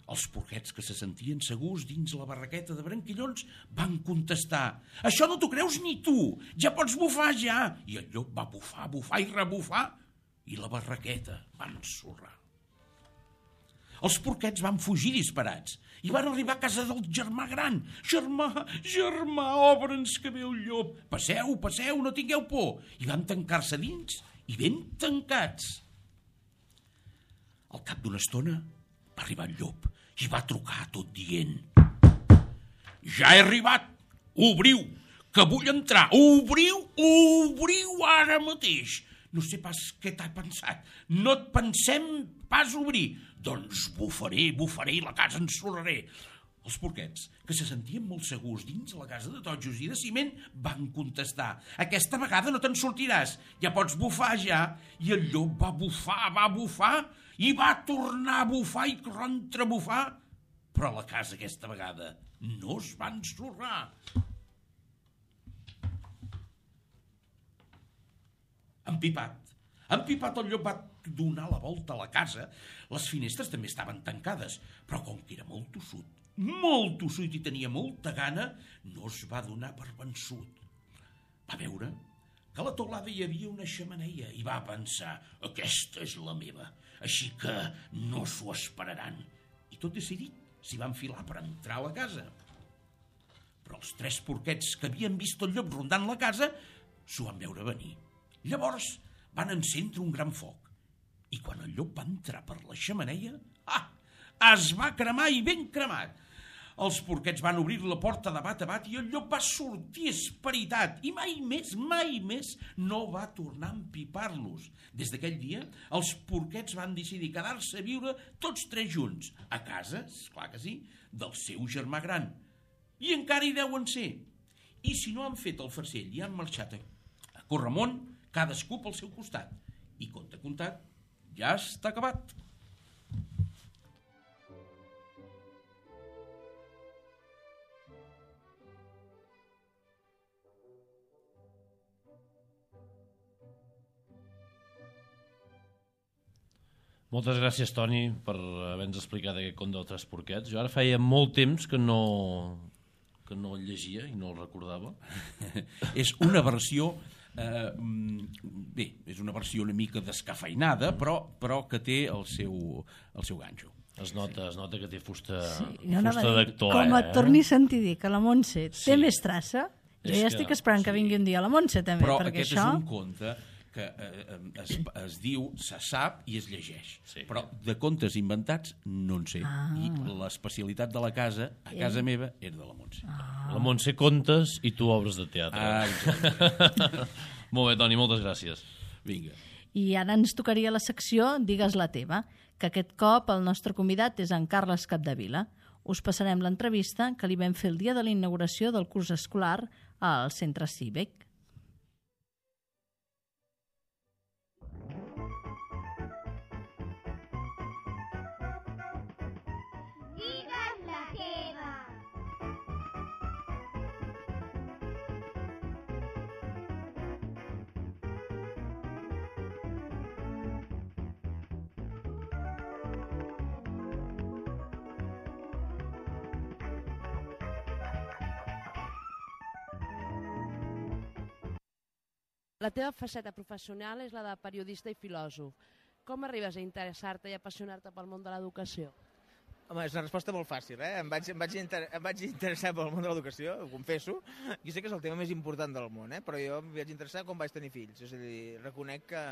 Els porquets, que se sentien segurs dins la barraqueta de branquillons, van contestar: Això no t'ho creus ni tu, ja pots bufar ja. I el llop va bufar, bufar i rebufar i la barraqueta va ensorrar. Els porquets van fugir disparats i van arribar a casa del germà gran. Germà, germà, obre'ns que ve el llop. Passeu, passeu, no tingueu por. I van tancar-se dins i ben tancats. Al cap d'una estona va arribar el llop i va trucar tot dient: Ja he arribat, obriu, que vull entrar. Obriu, obriu ara mateix. No sé pas què t'ha pensat. No et pensem pas obrir. Doncs bufaré, bufaré i la casa ensorraré. Els porquets, que se sentien molt segurs dins la casa de totxos i de ciment, van contestar: Aquesta vegada no te'n sortiràs, ja pots bufar ja. I el llop va bufar, va bufar i va tornar a bufar i contrabufar, però la casa aquesta vegada no es va ensorrar. Empipat. Empipat el llop va donar la volta a la casa. Les finestres també estaven tancades, però com que era molt tossut, molt tossut i tenia molta gana, no es va donar per vençut. Va veure que a la teulada hi havia una xemeneia i va pensar: Aquesta és la meva, així que no s'ho esperaran. I tot decidit s'hi va enfilar per entrar a la casa. Però els tres porquets que havien vist el llop rondant la casa s'ho van veure venir. Llavors van encendre un gran foc i quan el llop va entrar per la xemeneia, ah, es va cremar i ben cremat. Els porquets van obrir la porta de bat a bat i el llop va sortir esperitat i mai més, mai més no va tornar a empipar-los. Des d'aquell dia, els porquets van decidir quedar-se a viure tots tres junts, a casa, esclar que sí, del seu germà gran. I encara hi deuen ser. I si no han fet el farcell i han marxat a corremunt, cadascú pel seu costat. I compte comptat, ja està acabat. Moltes gràcies, Toni, per haver-nos explicat aquest conte dels tres porquets. Jo ara feia molt temps que no, que no el llegia i no el recordava. És una versió... Eh, bé, és una versió una mica descafeinada, però, però que té el seu, el seu ganxo. Es nota, es nota que té fusta, sí, fusta d'actor. Com eh? et torni a sentir dir que la Montse Sí. té més traça, jo És ja que- estic esperant que sí. vingui un dia la Montse també, Però perquè aquest això... és un conte que eh, es, es diu, se sap i es llegeix. Sí. Però de contes inventats no en sé. Ah. I l'especialitat de la casa, a casa meva, era de la Montse. Ah. La Montse contes i tu obres de teatre. Ah, exacte. Molt bé, Toni, moltes gràcies. Vinga. I ara ens tocaria la secció Digues la teva, que aquest cop el nostre convidat és en Carles Capdevila. Us passarem l'entrevista que li vam fer el dia de la inauguració del curs escolar al Centre Cívic. La teva faceta professional és la de periodista i filòsof. Com arribes a interessar-te i apassionar-te pel món de l'educació? Home, és una resposta molt fàcil, eh? Em vaig, em vaig, inter... em vaig interessar pel món de l'educació, ho confesso. Jo sé que és el tema més important del món, eh? Però jo em vaig interessar quan vaig tenir fills. És a dir, reconec que,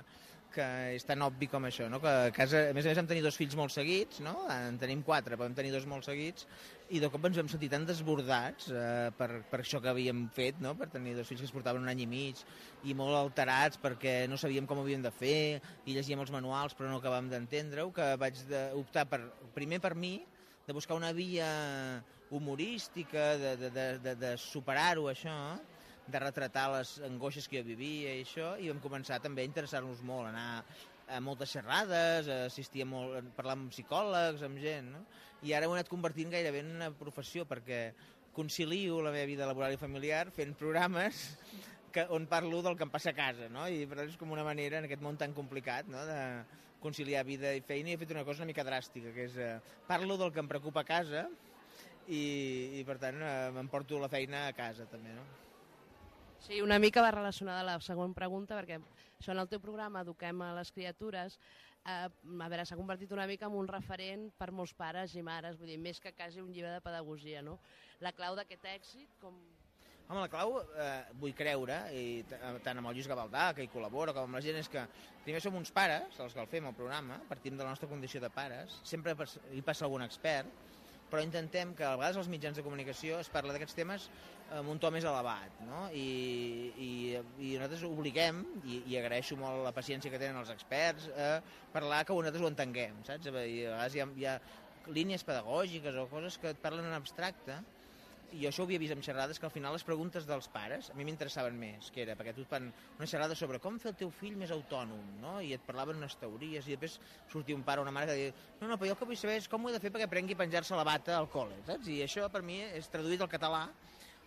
que és tan obvi com això, no? Que a casa, a més a més, vam tenir dos fills molt seguits, no? En tenim quatre, però vam tenir dos molt seguits, i de cop ens vam sentir tan desbordats eh, per, per això que havíem fet, no? Per tenir dos fills que es portaven un any i mig, i molt alterats perquè no sabíem com ho havíem de fer, i llegíem els manuals però no acabàvem d'entendre-ho, que vaig de, optar per, primer per mi, de buscar una via humorística, de, de, de, de, de superar-ho, això, de retratar les angoixes que jo vivia i això, i vam començar també a interessar-nos molt, anar a moltes xerrades, a assistir a, molt, a parlar amb psicòlegs, amb gent, no? I ara ho he anat convertint gairebé en una professió, perquè concilio la meva vida laboral i familiar fent programes que, on parlo del que em passa a casa, no? I per tant és com una manera, en aquest món tan complicat, no?, de conciliar vida i feina, i he fet una cosa una mica dràstica, que és eh, parlo del que em preocupa a casa i, i per tant eh, m'emporto la feina a casa també, no? Sí, una mica va relacionada a la següent pregunta, perquè això en el teu programa Eduquem a les criatures, eh, a veure, s'ha convertit una mica en un referent per molts pares i mares, vull dir, més que quasi un llibre de pedagogia, no? La clau d'aquest èxit, com... Home, la clau, eh, vull creure, i tant amb el Lluís Gavaldà, que hi col·labora, com amb la gent, és que primer som uns pares, els que el fem al programa, partim de la nostra condició de pares, sempre hi passa algun expert, però intentem que a vegades als mitjans de comunicació es parla d'aquests temes amb un to més elevat, no? I, i, i nosaltres obliguem, i, i agraeixo molt la paciència que tenen els experts, a parlar que nosaltres ho entenguem, saps? I a vegades hi ha, hi ha línies pedagògiques o coses que et parlen en abstracte, i això ho havia vist en xerrades, que al final les preguntes dels pares a mi m'interessaven més, que era perquè tu et fan una xerrada sobre com fer el teu fill més autònom, no? I et parlaven unes teories, i després sortia un pare o una mare que deia no, no, però jo el que vull saber és com ho he de fer perquè aprengui a penjar-se la bata al col·le, saps? I això per mi és traduït al català,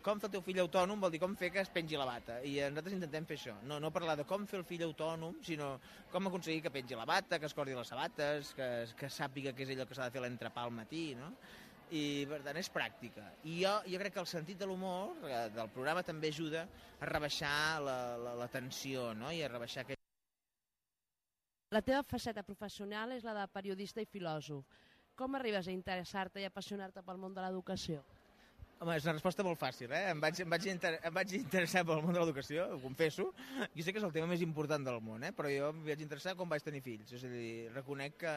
com fer el teu fill autònom vol dir com fer que es pengi la bata, i nosaltres intentem fer això, no, no parlar de com fer el fill autònom, sinó com aconseguir que pengi la bata, que es cordi les sabates, que, que sàpiga què és allò que s'ha de fer l'entrepà al matí, no? I per tant és pràctica, i jo, jo crec que el sentit de l'humor eh, del programa també ajuda a rebaixar la, la, la tensió, no? I a rebaixar aquest... La teva faceta professional és la de periodista i filòsof. Com arribes a interessar-te i apassionar-te pel món de l'educació? Home, és una resposta molt fàcil, eh? Em vaig, em vaig, inter... em vaig interessar pel món de l'educació, ho confesso. Jo sé que és el tema més important del món, eh? Però jo em vaig interessar quan vaig tenir fills. És a dir, reconec que,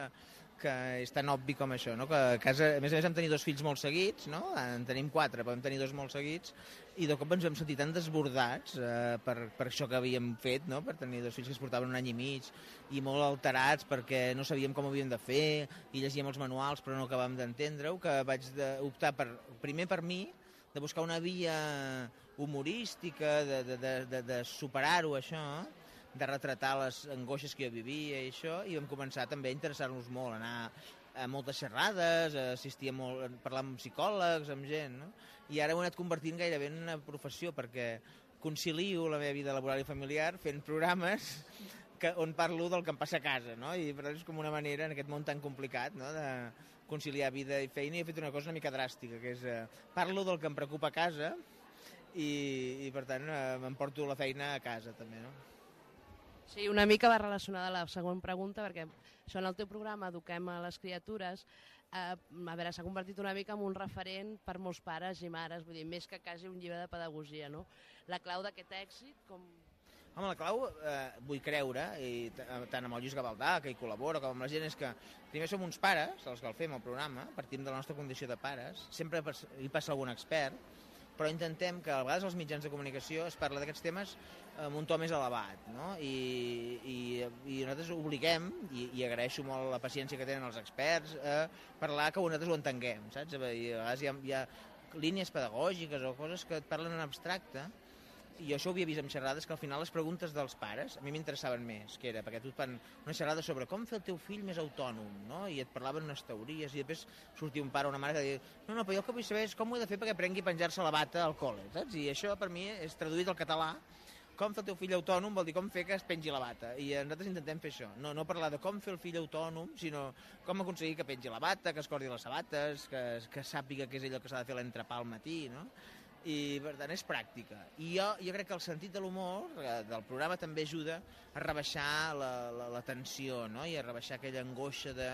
que és tan obvi com això, no? Que a casa, a més a més, vam tenir dos fills molt seguits, no? En tenim quatre, però vam tenir dos molt seguits, i de cop ens vam sentir tan desbordats eh, per, per això que havíem fet, no? Per tenir dos fills que es portaven un any i mig, i molt alterats perquè no sabíem com ho havíem de fer, i llegíem els manuals però no acabàvem d'entendre-ho, que vaig de, optar per, primer per mi, de buscar una via humorística, de, de, de, de, de superar-ho, això, de retratar les angoixes que jo vivia i això, i vam començar també a interessar-nos molt, anar a moltes xerrades, a assistir a, molt, a parlar amb psicòlegs, amb gent, no? I ara ho he anat convertint gairebé en una professió, perquè concilio la meva vida laboral i familiar fent programes que, on parlo del que em passa a casa, no? I per tant és com una manera, en aquest món tan complicat, no?, de conciliar vida i feina, i he fet una cosa una mica dràstica, que és eh, parlo del que em preocupa a casa i, i per tant eh, m'emporto la feina a casa també, no? Sí, una mica va relacionada a la següent pregunta, perquè això en el teu programa Eduquem a les criatures, eh, a veure, s'ha convertit una mica en un referent per molts pares i mares, vull dir, més que quasi un llibre de pedagogia, no? La clau d'aquest èxit, com... Home, la clau, eh, vull creure, i tant amb el Lluís Gavaldà, que hi col·labora, com amb la gent, és que primer som uns pares, els que el fem al programa, partim de la nostra condició de pares, sempre hi passa algun expert, però intentem que a vegades als mitjans de comunicació es parla d'aquests temes amb un to més elevat, no? I, i, i nosaltres obliguem, i, i agraeixo molt la paciència que tenen els experts, a parlar que nosaltres ho entenguem, saps? I a vegades hi ha, hi ha línies pedagògiques o coses que et parlen en abstracte, i això ho havia vist en xerrades, que al final les preguntes dels pares a mi m'interessaven més, que era perquè tu et fan una xerrada sobre com fer el teu fill més autònom, no? I et parlaven unes teories, i després sortia un pare o una mare que deia no, no, però jo el que vull saber és com ho he de fer perquè aprengui a penjar-se la bata al col·le, saps? I això per mi és traduït al català, com fer el teu fill autònom vol dir com fer que es pengi la bata, i nosaltres intentem fer això, no, no parlar de com fer el fill autònom, sinó com aconseguir que pengi la bata, que es cordi les sabates, que, que sàpiga què és allò que s'ha de fer l'entrepà al matí, no? i per tant és pràctica. I jo, jo crec que el sentit de l'humor eh, del programa també ajuda a rebaixar la, la, la tensió, no? I a rebaixar aquella angoixa de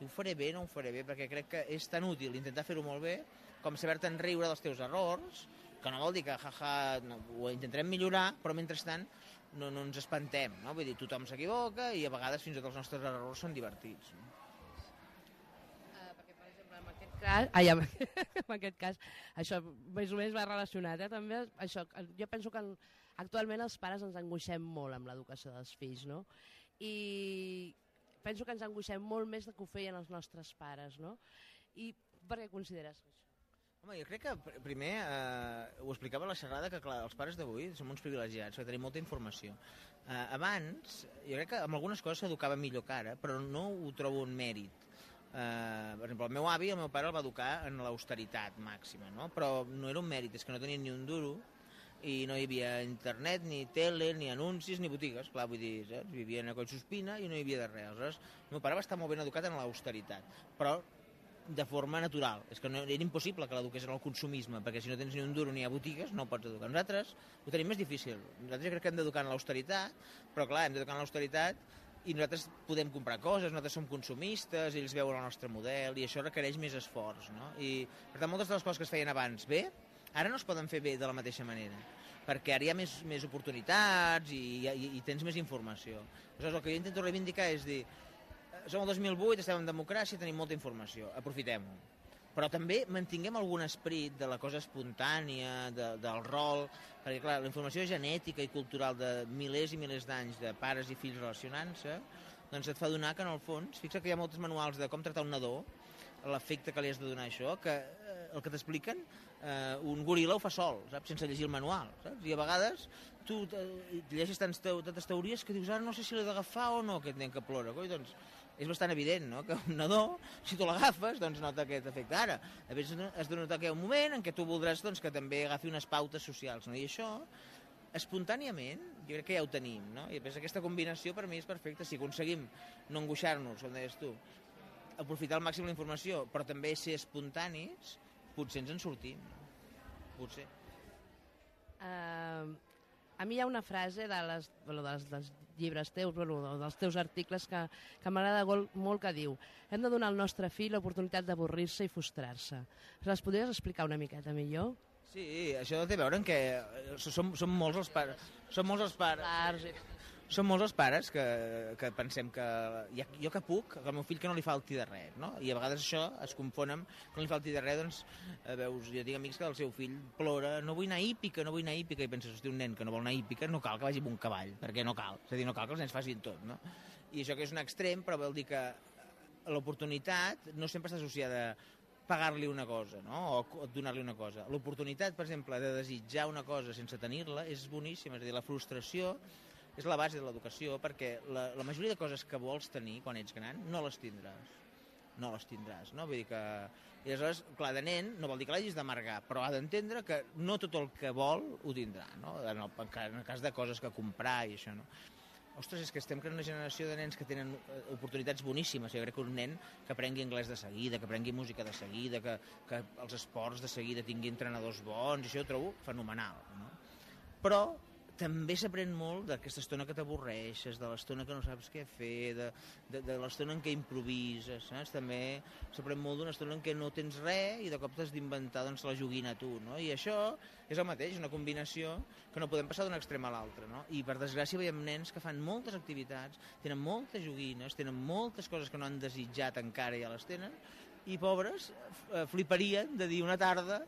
ho faré bé, no ho faré bé, perquè crec que és tan útil intentar fer-ho molt bé com saber-te'n riure dels teus errors, que no vol dir que jaja, no, ho intentarem millorar, però mentrestant no, no ens espantem, no? Vull dir, tothom s'equivoca i a vegades fins i tot els nostres errors són divertits. No? Cas, ai, en, en aquest cas, això més o menys va relacionat, eh? També, això, jo penso que actualment els pares ens angoixem molt amb l'educació dels fills, no? I penso que ens angoixem molt més del que ho feien els nostres pares, no? I per què consideres això? Home, jo crec que primer, eh, ho explicava a la xerrada, que clar, els pares d'avui som uns privilegiats, que tenim molta informació. Eh, abans, jo crec que amb algunes coses s'educava millor que ara, però no ho trobo un mèrit. Uh, per exemple, el meu avi, el meu pare el va educar en l'austeritat màxima, no? Però no era un mèrit, és que no tenien ni un duro i no hi havia internet, ni tele, ni anuncis, ni botigues, clar, vull dir, saps? Vivien a Collsospina i no hi havia de res. Aleshores, el meu pare va estar molt ben educat en l'austeritat, però de forma natural. És que no, era impossible que l'eduqués en el consumisme, perquè si no tens ni un duro ni hi ha botigues, no ho pots educar. Nosaltres ho tenim més difícil. Nosaltres jo crec que hem d'educar en l'austeritat, però clar, hem d'educar en l'austeritat i nosaltres podem comprar coses, nosaltres som consumistes, ells veuen el nostre model, i això requereix més esforç, no? I, per tant, moltes de les coses que es feien abans bé, ara no es poden fer bé de la mateixa manera, perquè ara hi ha més, més oportunitats i, i, i tens més informació. Aleshores, el que jo intento reivindicar és dir, som el dos mil vuit, estem en democràcia, tenim molta informació, aprofitem-ho. Però també mantinguem algun esperit de la cosa espontània, de, del rol, perquè clar, la informació genètica i cultural de milers i milers d'anys de pares i fills relacionant-se, doncs et fa donar que en el fons, fixa que hi ha molts manuals de com tractar un nadó, l'efecte que li has de donar això, que eh, el que t'expliquen, eh, un goril·la ho fa sol, saps? Sense llegir el manual, saps? I a vegades tu eh, llegeixes tantes, tantes teories que dius, ara no sé si l'he d'agafar o no, aquest nen que plora, coi, doncs és bastant evident, no?, que un nadó, si tu l'agafes, doncs nota aquest efecte. Ara, a vegades has de notar que hi ha un moment en què tu voldràs doncs, que també agafi unes pautes socials, no? I això, espontàniament, jo crec que ja ho tenim, no? I després aquesta combinació per mi és perfecta. Si aconseguim no angoixar-nos, com deies tu, aprofitar al màxim la informació, però també ser espontanis, potser ens en sortim, no? Potser. Uh, a mi hi ha una frase de les, bueno, dels, dels llibres teus, bueno, dels teus articles que, que m'agrada molt, que diu: hem de donar al nostre fill l'oportunitat d'avorrir-se i frustrar-se. Les podries explicar una miqueta millor? Sí, això té a veure en què som, som molts els pares, som molts els pares, som molts els pares que, que pensem que ja, jo que puc, que al meu fill que no li falti de res, no? I a vegades això es confon amb que no li falti de res, doncs, eh, veus, jo tinc amics que el seu fill plora, no vull anar a hípica, no vull anar a hípica, i penses, hosti, un nen que no vol anar a hípica, no cal que vagi amb un cavall, perquè no cal, és a dir, no cal que els nens facin tot, no? I això que és un extrem, però vol dir que l'oportunitat no sempre està associada a pagar-li una cosa, no? O donar-li una cosa. L'oportunitat, per exemple, de desitjar una cosa sense tenir-la és boníssima, és a dir, la frustració és la base de l'educació, perquè la, la majoria de coses que vols tenir quan ets gran no les tindràs. No les tindràs, no? Vull dir que... I aleshores, clar, de nen no vol dir que l'hagis d'amargar, però ha d'entendre que no tot el que vol ho tindrà, no? En el, en el cas de coses que comprar i això, no? Ostres, és que estem creant una generació de nens que tenen oportunitats boníssimes. Jo crec que un nen que aprengui anglès de seguida, que aprengui música de seguida, que, que els esports de seguida tingui entrenadors bons, això ho trobo fenomenal, no? Però també s'aprèn molt d'aquesta estona que t'avorreixes, de l'estona que no saps què fer, de, de, de l'estona en què improvises, saps? També s'aprèn molt d'una estona en què no tens res i de cop t'has d'inventar doncs, la joguina tu, no? I això és el mateix, una combinació que no podem passar d'un extrem a l'altre, no? I per desgràcia veiem nens que fan moltes activitats, tenen moltes joguines, tenen moltes coses que no han desitjat encara i ja les tenen, i pobres fliparien de dir una tarda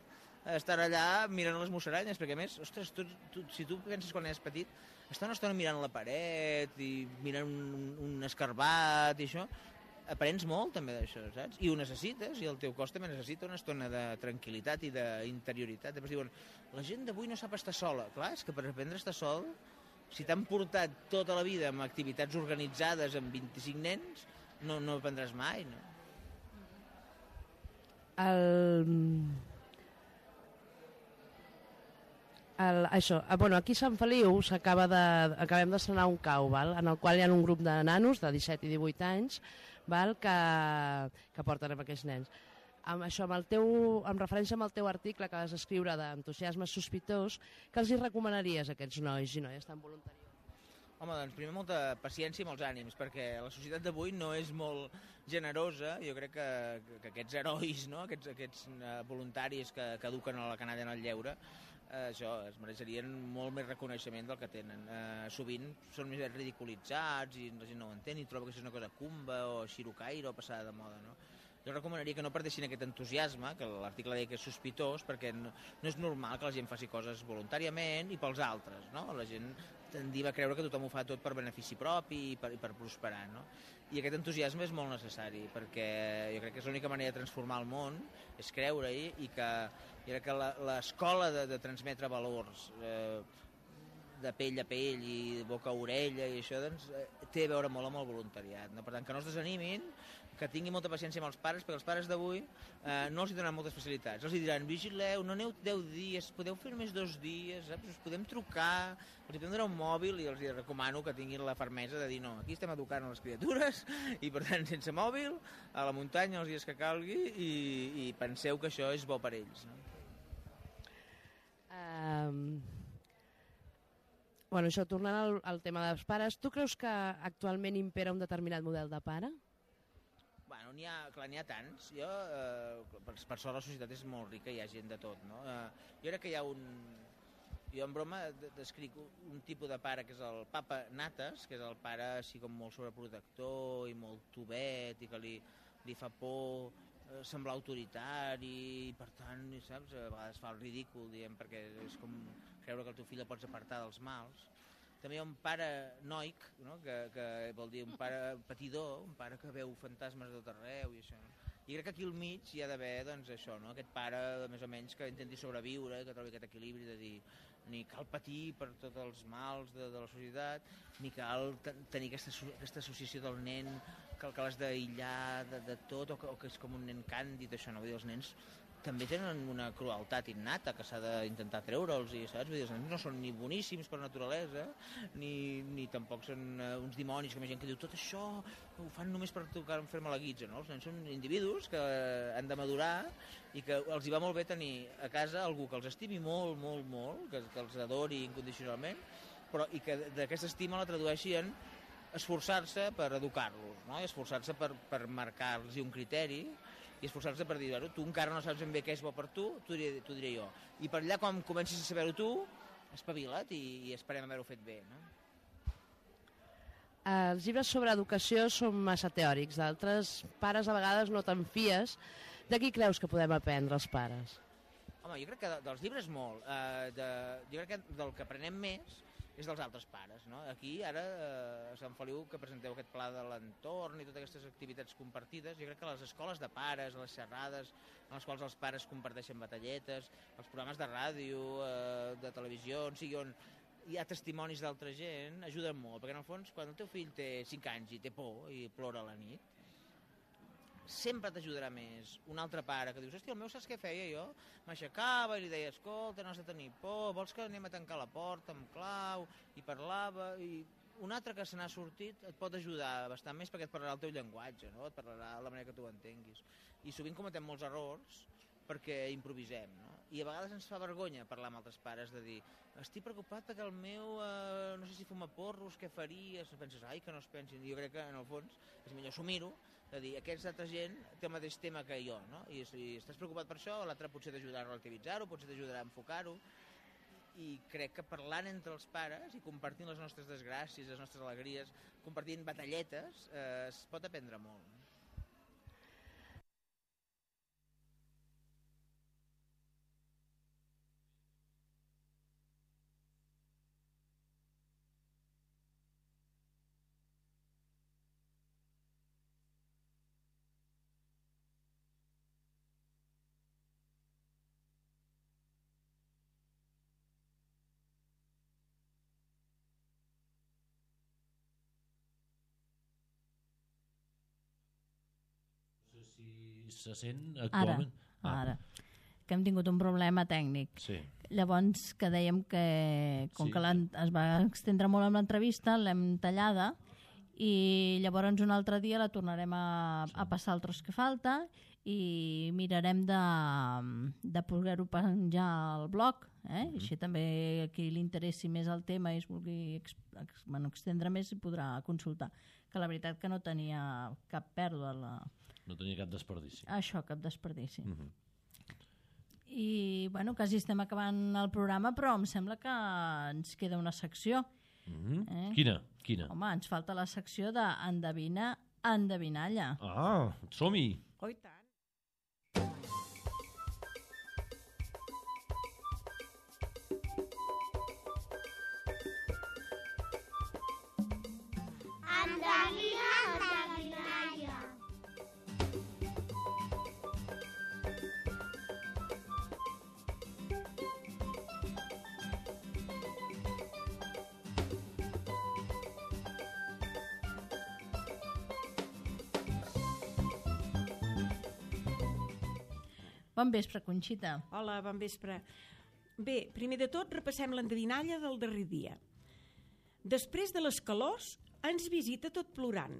estar allà mirant les musaranyes, perquè a més, ostres, tu, tu, si tu penses quan eres petit, estar una estona mirant la paret i mirant un, un escarbat i això, aprens molt també d'això, saps? I ho necessites, i el teu cos també necessita una estona de tranquil·litat i d'interioritat. Després diuen, la gent d'avui no sap estar sola. Clar, és que per aprendre a estar sol, si t'han portat tota la vida amb activitats organitzades amb vint-i-cinc nens, no, no aprendràs mai, no? El... El, això, bueno, aquí a Sant Feliu s'acaba de, acabem d'estrenar un cau, val? En el qual hi ha un grup de nanos de disset i divuit anys, val? Que, que porten amb aquests nens. amb això, amb, el teu, amb referència amb el teu article que vas escriure d'entusiasme sospitós, que els hi recomanaries a aquests nois i noies tan voluntaris? Home, doncs primer molta paciència i molts ànims, perquè la societat d'avui no és molt generosa. Jo crec que, que aquests herois, no? aquests, aquests uh, voluntaris que, que eduquen a la canalla en el lleure, uh, això, es mereixerien molt més reconeixement del que tenen. Uh, sovint són més ridiculitzats i la gent no ho entén i troba que això és una cosa cumba o xirocaire o passada de moda, no? Jo recomanaria que no perdessin aquest entusiasme, que l'article deia que és sospitós, perquè no, no és normal que la gent faci coses voluntàriament i pels altres, no? La gent tendia a creure que tothom ho fa tot per benefici propi i per, i per prosperar, no? I aquest entusiasme és molt necessari, perquè jo crec que és l'única manera de transformar el món, és creure-hi, i que, jo crec que l'escola de, de transmetre valors eh, de pell a pell i boca a orella i això, doncs, eh, té a veure molt amb el voluntariat, no? Per tant, que no es desanimin, que tinguin molta paciència amb els pares, perquè els pares d'avui eh, no els hi donaran moltes facilitats. Els hi diran, vigileu, no aneu deu dies, podeu fer només dos dies, saps? Us podem trucar, els hi podem donar un mòbil, i els hi recomano que tinguin la fermesa de dir, no, aquí estem educant a les criatures, i per tant, sense mòbil, a la muntanya els dies que calgui, i, i penseu que això és bo per ells, no? Um... Bueno, això, tornant al, al tema dels pares, tu creus que actualment impera un determinat model de pare? Bueno, n'hi ha, clar, n'hi ha tants. Jo, eh, per, per sort la societat és molt rica, hi ha gent de tot, no? Eh, jo crec que hi ha un... Jo en broma descric un tipus de pare que és el papa Natas, que és el pare així com molt sobreprotector i molt tubet i que li, li fa por eh, semblar autoritari i per tant, saps, a vegades fa el ridícul, diguem, perquè és com creure que el teu fill el pots apartar dels mals. També hi ha un pare noic, no? que, que vol dir un pare patidor, un pare que veu fantasmes de tot arreu i això. I crec que aquí al mig hi ha d'haver, doncs, això, no? Aquest pare, més o menys, que intenti sobreviure, que trobi aquest equilibri de dir ni cal patir per tots els mals de, de la societat, ni cal tenir aquesta, aquesta associació del nen que, que l'has d'aïllar de, de tot, o que, o que és com un nen càndid, això, no? Vull dir, els nens també tenen una crueltat innata que s'ha d'intentar treure'ls, i saps? Vull dir, els nens no són ni boníssims per naturalesa, ni, ni tampoc són uh, uns dimonis, com hi ha gent que diu tot això ho fan només per tocar fer-me la guitza, no? Els nens són individus que han de madurar i que els hi va molt bé tenir a casa algú que els estimi molt, molt, molt, que, que els adori incondicionalment, però i que d'aquesta estima la tradueixi en esforçar-se per educar-los, no? I esforçar-se per, per marcar-los un criteri, i esforçar-se per dir, tu encara no saps ben bé què és bo per tu, t'ho diré, t'ho diré jo. I per allà, quan comencis a saber-ho tu, espavila't i, i esperem haver-ho fet bé, no? Els llibres sobre educació són massa teòrics, d'altres pares a vegades no te'n fies. De qui creus que podem aprendre els pares? Home, jo crec que de, dels llibres molt. Uh, de, jo crec que del que aprenem més és dels altres pares, no? Aquí, ara, eh, a Sant Feliu, que presenteu aquest pla de l'entorn i totes aquestes activitats compartides, jo crec que les escoles de pares, les xerrades en les quals els pares comparteixen batalletes, els programes de ràdio, eh, de televisió, on sigui on hi ha testimonis d'altra gent, ajuden molt, perquè en el fons, quan el teu fill té cinc anys i té por i plora a la nit, sempre t'ajudarà més un altre pare que dius, hòstia, el meu saps què feia jo? M'aixecava i li deia, escolta, no has de tenir por, vols que anem a tancar la porta amb clau? I parlava, i un altre que se n'ha sortit et pot ajudar bastant més perquè et parlarà el teu llenguatge, no? Et parlarà la manera que tu entenguis. I sovint cometem molts errors perquè improvisem, no? I a vegades ens fa vergonya parlar amb altres pares de dir, estic preocupat perquè el meu, eh, no sé si fuma porros, què faries? Penses, ai, que no es pensin. I jo crec que en el fons és millor assumir-ho, de dir, aquesta altra gent té el mateix tema que jo, no? I si estàs preocupat per això, l'altre potser t'ajudarà a relativitzar-ho, potser t'ajudarà a enfocar-ho, i crec que parlant entre els pares i compartint les nostres desgràcies, les nostres alegries, compartint batalletes, eh, es pot aprendre molt. Si se sent actualment... Ara, ah. ara, que hem tingut un problema tècnic. Sí. Llavors, que dèiem que, com Sí. que es va extendre molt amb l'entrevista, l'hem tallada, i llavors un altre dia la tornarem a, a passar el tros que falta, i mirarem de, de poder-ho penjar al blog, eh? Mhm. Així també a qui li interessi més el tema i es vulgui ex, ex, bueno, extendre més i podrà consultar, que la veritat que no tenia cap pèrdua la... No tenia cap desperdici. Això, cap desperdici. Mhm. I bueno, quasi estem acabant el programa, però em sembla que ens queda una secció. Mhm. Eh? Quina? Quina? Home, ens falta la secció d'endevina, endevinalla. Ah, som-hi! Oh, i tant. Endevina, endevinalla. Bon vespre, Conxita. Hola, bon vespre. Bé, primer de tot repassem l'endevinalla del darrer dia. Després de les calors ens visita tot plorant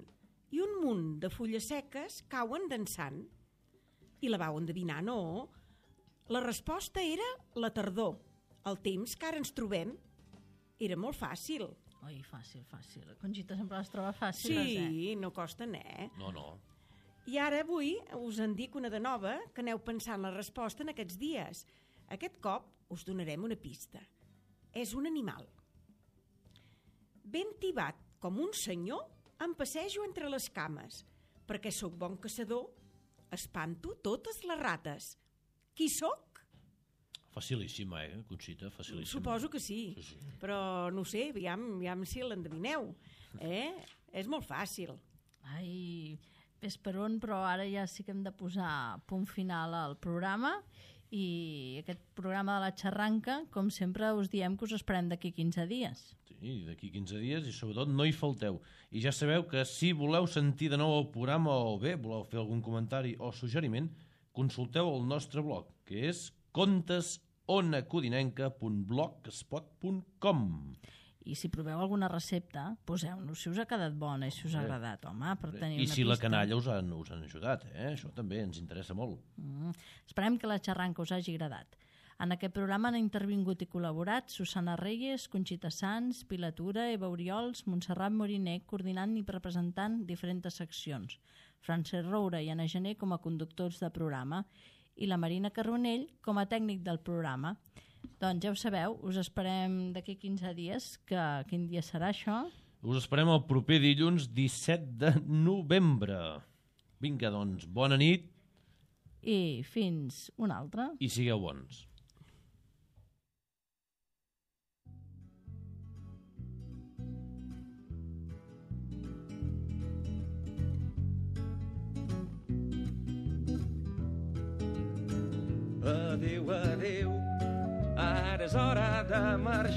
i un munt de fulles seques cauen dansant. I la vau endevinar, no? La resposta era la tardor. El temps que ara ens trobem era molt fàcil. Oi, fàcil, fàcil. Conxita sempre les troba fàcils, Sí, eh? no costa, eh? No, no. I ara avui us en dic una de nova que aneu pensant la resposta en aquests dies. Aquest cop us donarem una pista. És un animal. Ben tibat com un senyor, em passejo entre les cames. Perquè sóc bon caçador, espanto totes les rates. Qui sóc? Facilíssima, eh, Conxita? Facilíssima. Suposo que sí, Sí, sí. però no ho sé, aviam, aviam si l'endevineu. Eh? És molt fàcil. Ai, ves per on, però ara ja sí que hem de posar punt final al programa i aquest programa de la xarranca, com sempre us diem que us esperem d'aquí quinze dies. Sí, d'aquí quinze dies i sobretot no hi falteu. I ja sabeu que si voleu sentir de nou el programa o bé voleu fer algun comentari o suggeriment, consulteu el nostre blog, que és contes onacodinenca punt blogspot punt com. I si proveu alguna recepta, poseu-nos si us ha quedat bona i si us ha Bé. agradat, home, per tenir I una si pista. la canalla us han, us han ajudat, eh? Això també ens interessa molt. Mm. Esperem que la xarranca us hagi agradat. En aquest programa han intervingut i col·laborat Susana Reyes, Conxita Sans, Pilar Tura, Eva Oriols, Montserrat Moriné, coordinant i representant diferents seccions, Francesc Roura i Anna Gené com a conductors de programa i la Marina Carbonell com a tècnic del programa. Doncs ja ho sabeu, us esperem d'aquí quinze dies, que quin dia serà això? Us esperem el proper dilluns disset de novembre. Vinga, doncs, bona nit. I fins una altra. I sigueu bons. Adéu, adéu, ara és hora de marxar.